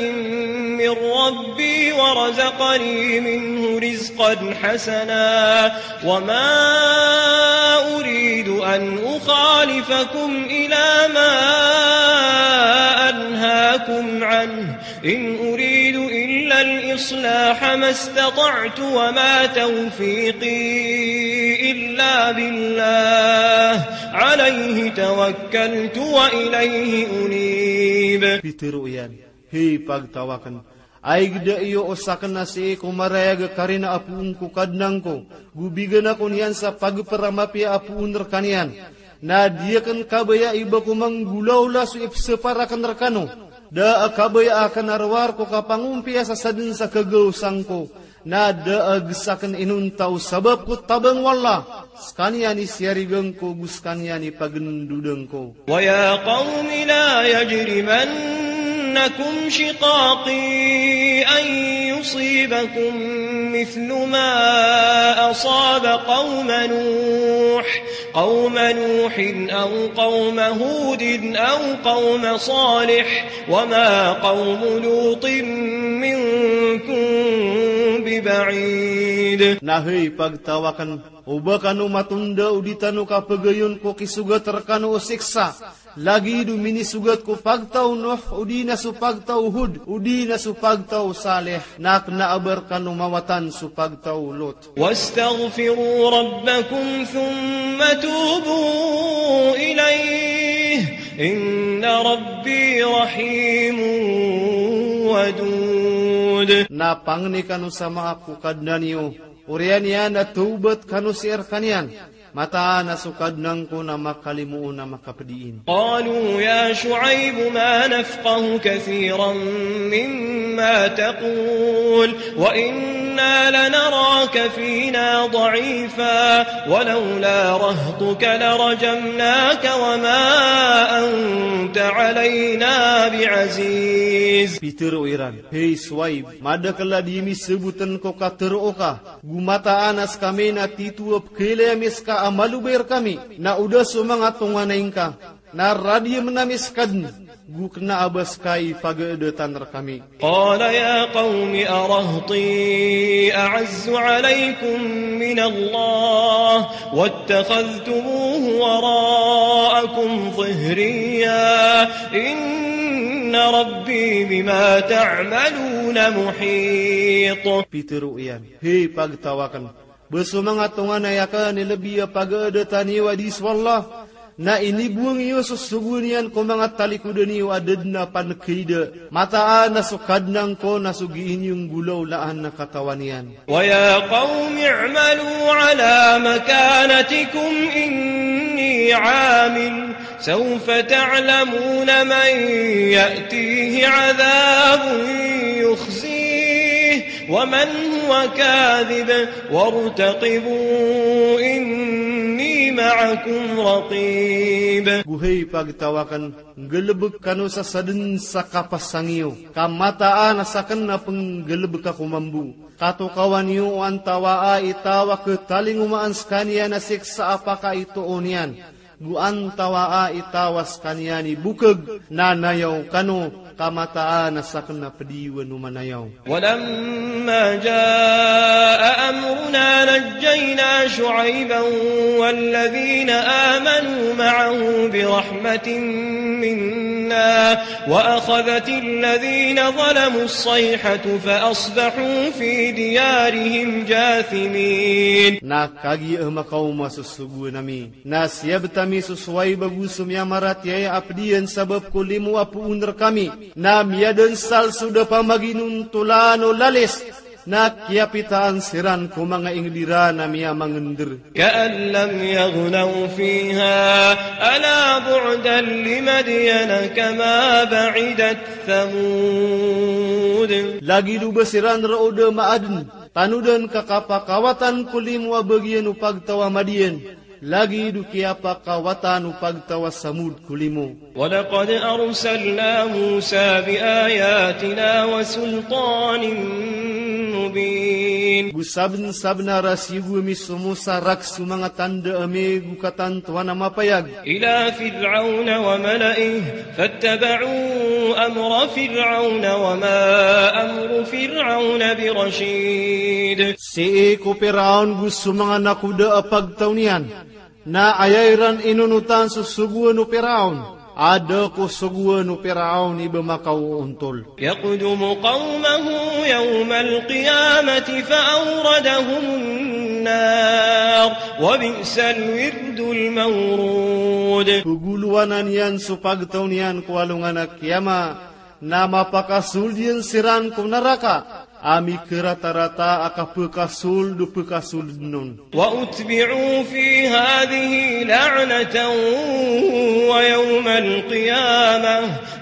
من ربي ورزقني منه رزقا حسنا وما أريد أن أخالفكم إلى ما أنهاكم عنه إن أريد إلا الإصلاح ما استطعت وما توفيقي إلا بالله عليه توكلت وإليه أنيب. Pitharo iyan, "Hay pagtaw akn, aygda iyo o sakn a sii ko marayag a karina a poon ko Kadnan ko, go bigan ako niyan sa pagpr a mapiya a poon rkaniyan. Na di akn kabaya i ba ko manggolawla so ipsapar akn rkano. Da a kabaya akn a rowar ko kapangompiya sa sadn sa kagaosang ko. Na da a gsakn inonta o sabap ko tabang o Allah. Skaniyan i siyarigan ko, go skaniyan i pagndodan ko." ويا قوم لا يجرمنكم شقاقي أن يصيبكم مثل ما أصاب قوم نوح قوم نوح أو قوم هود أو قوم صالح وما قوم لوط منكم ببعيد. Na hay pagtaw akn, o ba kano matonda o di tano kapagayon ko kisogat rkano o siksa, lagid o minisogat ko pagtaw o Nuh, odi na so pagtaw o Hud, odi na so pagtaw o Salih, na kna a ba rkano mawatan so pagtaw o Lut. واستغفروا ربكم ثم توبوا إليه إن ربي رحيم ودود. Na pangni kano sa maap ko Kadnan iyo, oriyan iyan na tawbat kano sii rkaniyan. Mataan a so Kadnan ko na makalimo on a makapdiin. قالوا يا شعيب ما نفقه كثيرا مما تقول وإنا لنراك فينا ضعيفا ولولا رهطك لرجمناك وما أنت علينا بعزيز. Pitharo iran, hay Shuaib, madakl a di mi sabotn ko katharo ka, go mataan a skami na tito a pkhailay ami ska a malobay rkami, na o da so manga tonganay ngka, na radiyamn ami ska dn, go kna a ba ska i pagaadatan rkami. قال يا قوم أرهطي أعز عليكم من الله واتخذتموه وراءكم ظهريا إن ربي بما تعملون محيط. Pitharo iyan, hay pagtaw akn, ba so manga tonganay akn i lbi a pagaadatan iyo a di so Allah, na inibowang iyo so sogoan iyan ko manga talikodan iyo a da dn a pankaida. Mataan a so Kadnan ko na so gii niyo nggolawlaan na katawan iyan. ويا قوم اعملوا على مكانتكم إني عامل سوف تعلمون من يأتيه عذاب يخزيه ومن هو كاذب وارتقبوا إني معكم رقيب. Go hay pagtaw akn, nggalbk kano sa sadn sa kapasang iyo, ka mataan a sakn a pnggalbk ako mambo. Katokawan iyo o antawaa i taw a khatalingomaan skaniyan a siksa a pakaitoon iyan, go antawaa i taw a skaniyan i bokg, na nayaw kano, ka mataan a sakn a pd iyo a manayaw. ولما جاء أمرنا نجينا شعيبا والذين آمنوا معه برحمة منا وأخذت الذين ظلموا الصيحة فأصبحوا في ديارهم جاثمين. Na kagiya makaoma so sogoan ami, na siyabt ami so Shuaib ago so miyamaratiyaya a pd iyan sabap ko limo a poon rkami, na miyadnsal so da pamaginontolan o lalis, na kiyapitaan siran ko manga ingd iran a miyamangndr. كأن لم يغنوا فيها ألا بعدا لمدين كما بعدت ثمود. Lagid o ba siran roo da maadn, tanodan ka kapakawatan ko limo a bagian o pagtaw a Madian, lagid o kiyapakawatan o pagtaw a Samud ko limo. ولقد أرسلنا موسى بآياتنا وسلطان مبين. Go sabnsabnar a siyogo ami so Musa rakn so manga tanda ami go katantowan a mapayag. إلى فرعون وملئه فاتبعوا أمر فرعون وما أمر فرعون برشيد. Sii ko Piraon go so manga nakoda a pagtaw niyan, na aya iran inonotan so sogoan o Piraon, a da ko sogoan o Piraon i ba makaoontol. يقدم قومه يوم القيامة فأوردهم النار وبئس الورد المورود. Pgolowanan iyan so pagtaw niyan ko alongan a kiyama, na mapakasold iyan siran ko naraka a mikaratarata a kapkasold o pkasoldn on. وأتبعوا في هذه لعنة ويوم القيامة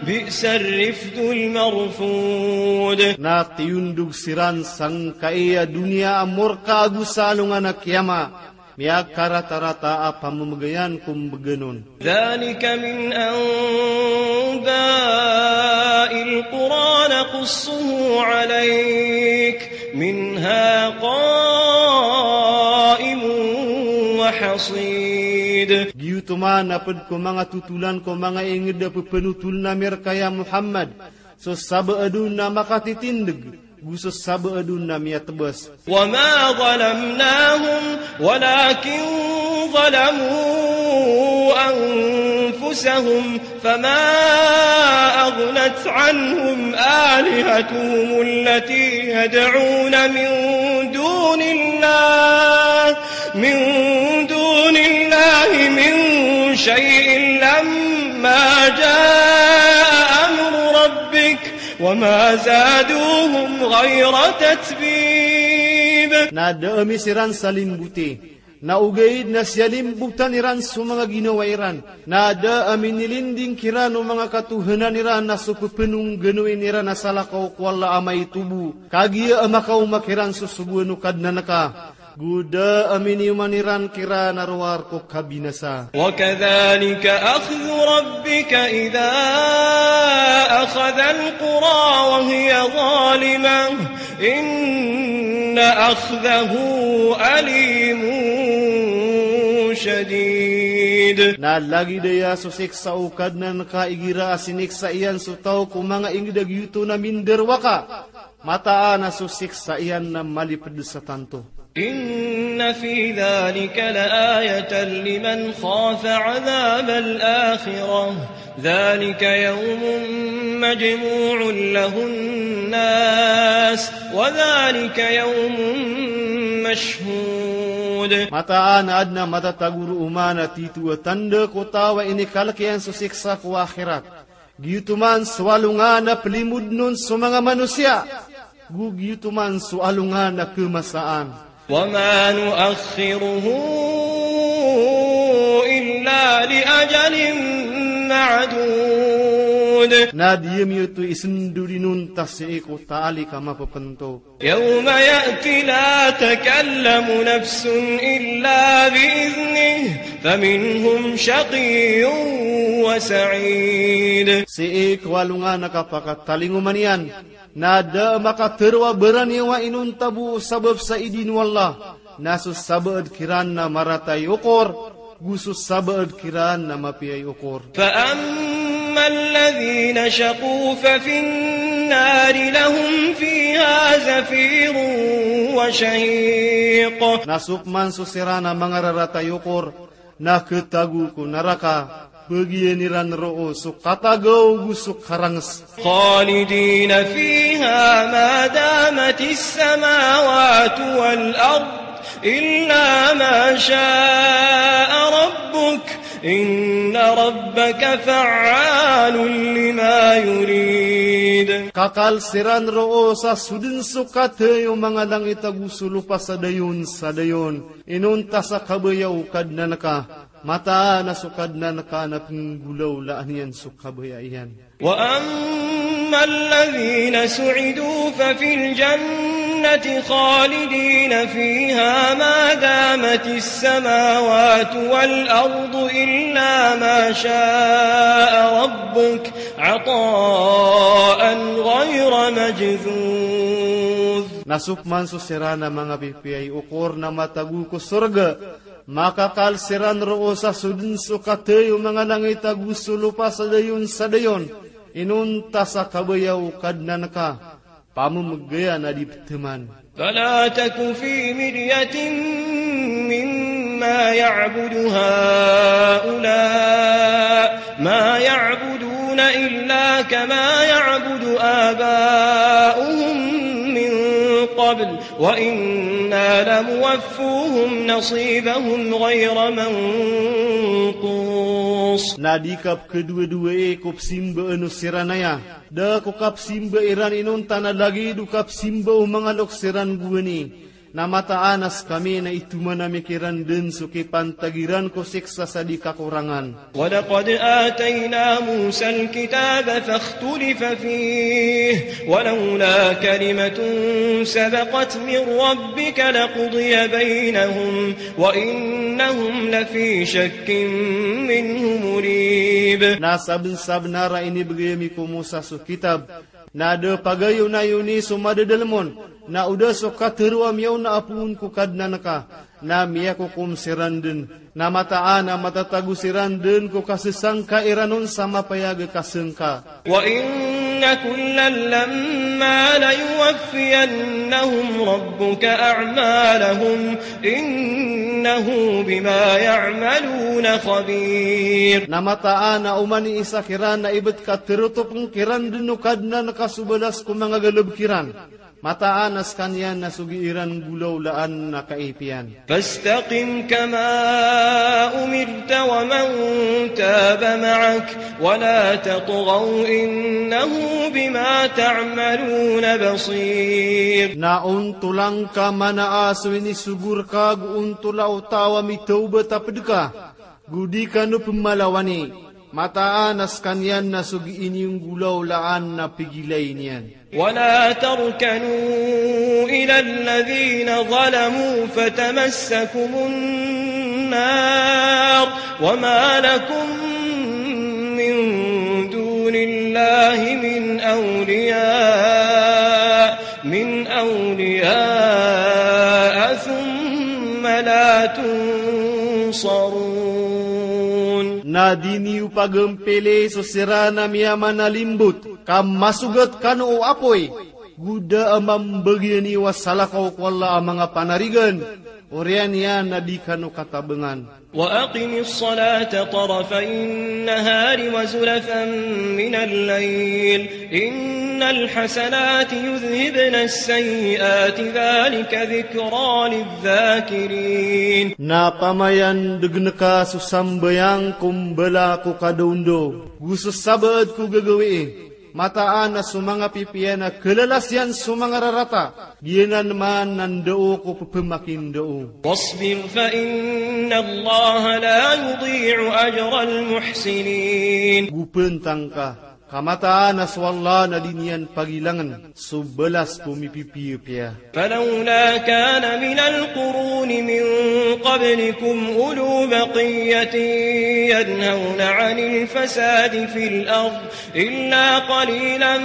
بئس الرفد المرفود. Na tiyondog siran sangkai a doniya a morka ago sa alongan a kiyama, miyakaratarata a pamamagayan ko mbgan on. ذلك من أنباء القرى نقصه عليك منها قائم وحصيد. Giyoto man a pd ko manga totolan ko manga ingd a pphanotolan ami rka ya Muhammad, so sabaad on na makatitindg, go so sabaad on na miyatbs. وما ظلمناهم ولكن ظلموا أنفسهم فما أغنت عنهم آلهتهم التي يدعون من دون الله، من دون الله من شيء لما جاء أمر ربك وما زادوهم غير تتبيب. Na da ami siran salimbote, na ogaid na siyalimbotan iran so manga ginawa iran. Na da a minilinding kiran o manga katohanan iran na so pphanongganoin iran a salakaw ko Allah a maito bo. Kagiya a makaoma kiran so sogoan o Kadnan ka, go da a miniyoman iran kiran a rowar ko kabinasa. وكذلك أخذ ربك إذا أخذ القرى وهي ظالمة إن أخذه أليم شديد. Na lagid aya so siksa o Kadnan ka igira a siniksa iyan so taw ko manga ingd a giyoto na mindarowaka. Mataan a so siksa iyan na malipd sa tanto. إن في ذلك لآية لمن خاف عذاب الآخرة ذلك يوم مجموع له الناس وذلك يوم مشهود. Mataan a adn a matatago roo man a tito a tanda ko taw a inikalk iyan so siksa ko akhirat. Giyoto man so alongan a plimodn on so manga manosiya, go giyoto man so alongan a khamasaan. وما نؤخره إلا لأجل معدود. Na di ami oto isndod inonta sii ko taalik a mapphantog. يوم يأتي لا تكلم نفس إلا بإذنه فمنهم شقي وسعيد. Sii ko alongan a kapakatalingoma niyan, na da a makatharo a baraniyawa inonta bo sabap sa idin o Allah, na so sabaad kiran na marata i okor, go so sabaad kiran na mapiya i okor. فأما الذين شقوا ففي النار لهم فيها زفير وشهيق. Na so pman so siran a manga rarata i okor, na khatago ko naraka, bagian iran roo so katagaw go so karangs. خالدين فيها ما دامت السماوات والأرض إلا ما شاء ربك إن ربك فعال لما يريد. Kakal siran roo sa sodn so kathay o manga langit ago so lopa sa dayon sa dayon. Inonta sa kabaya o Kadnan ka, mataan a so Kadnan ka na pnggolawlaan iyan so kabaya iyan. وأما الذين سعدوا ففي الجنة خالدين فيها ما دامت السماوات والأرض إلا ما شاء ربك عطاء غير مجذوذ. Na so pman so siran a manga pipiya i okor na matago ko sorga, makakal siran roo sa sodn so kathay o manga langit ago so lopa sa dayon sa dayon, inonta sa kabaya o Kadnan ka, pamamgaya na di pthaman. فلا تك في مرية مما يعبد هؤلاء ما يعبدون إلا كما يعبد آباؤهم من قبل وإنا لموفوهم نصيبهم غير منقوص. Na di ka pkhadowadowaii ko psimbaan o siran aya, da ko kapsimba iran inonta na lagid o kapsimba o manga loks iran gowani. Na mataan a skami na itoman ami kiran dn so kipantag iran ko siksa sa di kakorangan. ولقد آتينا موسى الكتاب فاختلف فيه ولولا كلمة سبقت من ربك لقضي بينهم وإنهم لفي شك منه مريب. Na sabnsabnar a inibgay ami ko Musa so kitab, Na da pagayonayon i so madadalem on, na o da so katharo a miyaona a poon ko Kadnan ka, na miyakokom siran dn, na mataan a matatago siran dn ko kasesangka iran on sa mapayag a kasengka. وإن كلا لما ليوفينهم ربك أعمالهم إنه بما يعملون خبير. Na mataan a oman i isa kiran na ibt ka therotopn kiran dn o Kadnan ka so balas ko manga galbk iran. Mataan a skaniyan na so gii ran nggolawlaan na kaipiyan. فاستقم كما أمرت ومن تاب معك ولا تطغوا إنه بما تعملون بصير. Na ontola ngka mana a so inisogo rka ago ontola o taw a mitawbat a pd ka, go di kano pmalawani. Mataan a skaniyan na so gii niyo nggolawlaan na pgilay niyan. ولا تركنوا إلى الذين ظلموا فتمسكم النار وما لكم من دون الله من أولياء، من أولياء ثم لا تنصرون. Na di niyo pagmpili so siran a miyamanalimbot, ka masogat kano o apoy, go da a mambagian iyo a salakaw ko Allah a manga panarigan, oriyan iyan na di kano katabangan. وأقم الصلاة طرفي النهار وزلفا من الليل إن الحسنات يذهبن السيئات ذلك ذكرى للذاكرين. Na pamayandgn ka so sambayang ko mbala ko kadaondaw, go so sabaad ko gagawii, mataan a so manga pipiya na kalalas iyan so manga rarata, giyanan man na ndao ko pphamakindao. واصبر فإن الله لا يضيع أجر المحسنين. Go pntang ka, ka mataan a so Allah na di niyan pagilangn so balas ko mipipiyapiya. فلولا كان من القرون من قبلكم أولو بقية ينهون عن الفساد في الأرض إلا قليلا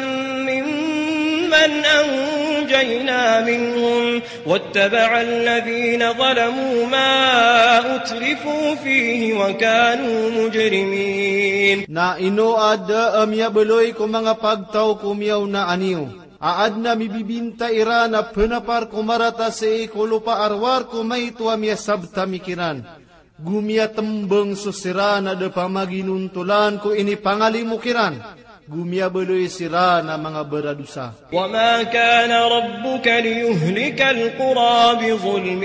ممن أنجينا منهم واتبع الذين ظلموا ما أترفوا فيه وكانوا مجرمين. Na ino a da a miyabaloy ko manga pagtaw ko miyaonaan iyo, a adn a mibibinta iran a pnapar ko marata sii ko lopa a rowar ko maito a miyasabtami kiran, go miyatmbng so siran a da pamaginontolan ko inipangalimo kiran, go miyabaloy siran a manga baradosa. وما كان ربك ليهلك القرى بظلم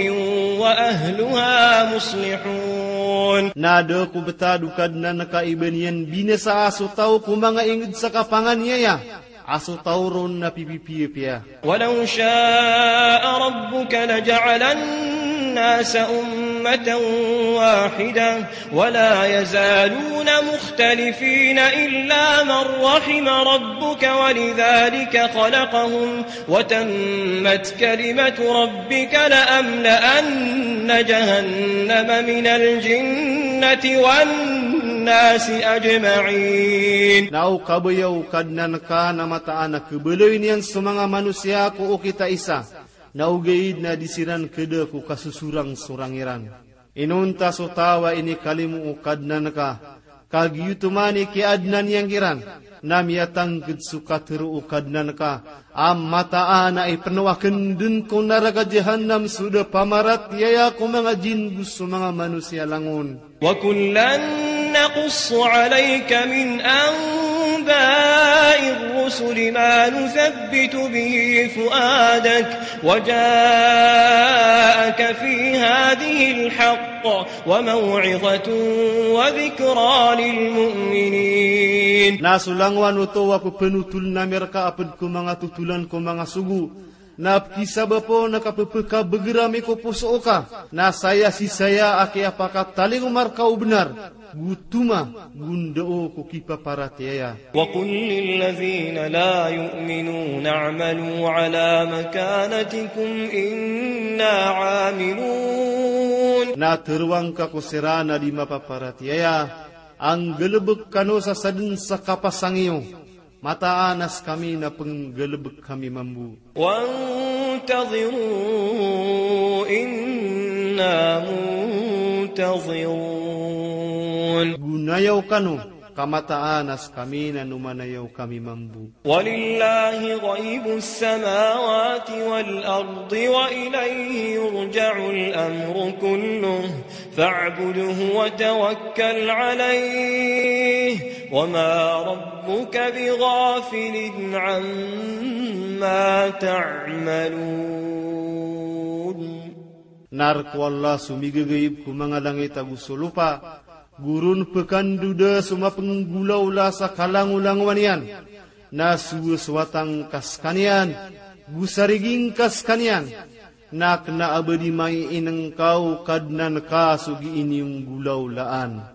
وأهلها مصلحون. Na da ko btad o Kadnan ka i ba niyan binasaa so taw ko manga ingd sa kapanganiyaya, a so taw ron na pipipiyapiya. ولو شاء ربك لجعل الناس أمة واحدة ولا يزالون مختلفين إلا من رحم ربك ولذلك خلقهم وتمت كلمة ربك لأملأن جهنم من الجنة والناس أجمعين. Na o kabaya o Kadnan ka na mataan a khabaloy niyan so manga manosiya ko okit a isa, na ogaid na di siran khada ko kasosorangsorang iran. Inonta so taw a inikalimo o Kadnan ka, ka giyoto man i kiyaadnan iyan kiran, na miyatangkd so katharo o Kadnan ka, a mataan a ipnowakn dn ko naraka Jahannam so da pamaratiyaya ko manga jin go so manga manosiya langon. وكلا نقص عليك من أنباء الرسل ما نثبت به فؤادك وجاءك في هذه الحق وموعظة وذكرى للمؤمنين. Na so langowan oto a pphanotoln ami rka a pd ko manga totolan ko manga sogo, na pkisabap on a kappkabagr ami ko poso oka, na saya sii saya a kiyapakatalingoma rka o bnar, go toma, go ndao ko kipaparatiyaya. وقل للذين لا يؤمنون اعملوا على مكانتكم إنا عاملون. Na tharoang ka ko siran a di mapaparatiyaya, a nggalbk kano sa sadn sa kapasang iyo. Mataan a skami na pnggalbk kami mambo. وانتظروا إنا منتظرون. Go nayaw kano, ka mataan a skami na nomanayaw kami mambo. ولله غيب السماوات والأرض وإليه يرجع الأمر كله فاعبده وتوكل عليه وما ربك بغافل عما تعملون. Na rk o Allah so migagaib ko manga langit ago so lopa, go ron pkandoda so mapnggolawla sa kalangolangowan iyan, na so wata ngka skaniyan, go sarigi ngka skaniyan, na kna a ba di maiinngka o Kadnan ka so gii niyo nggolawlaan.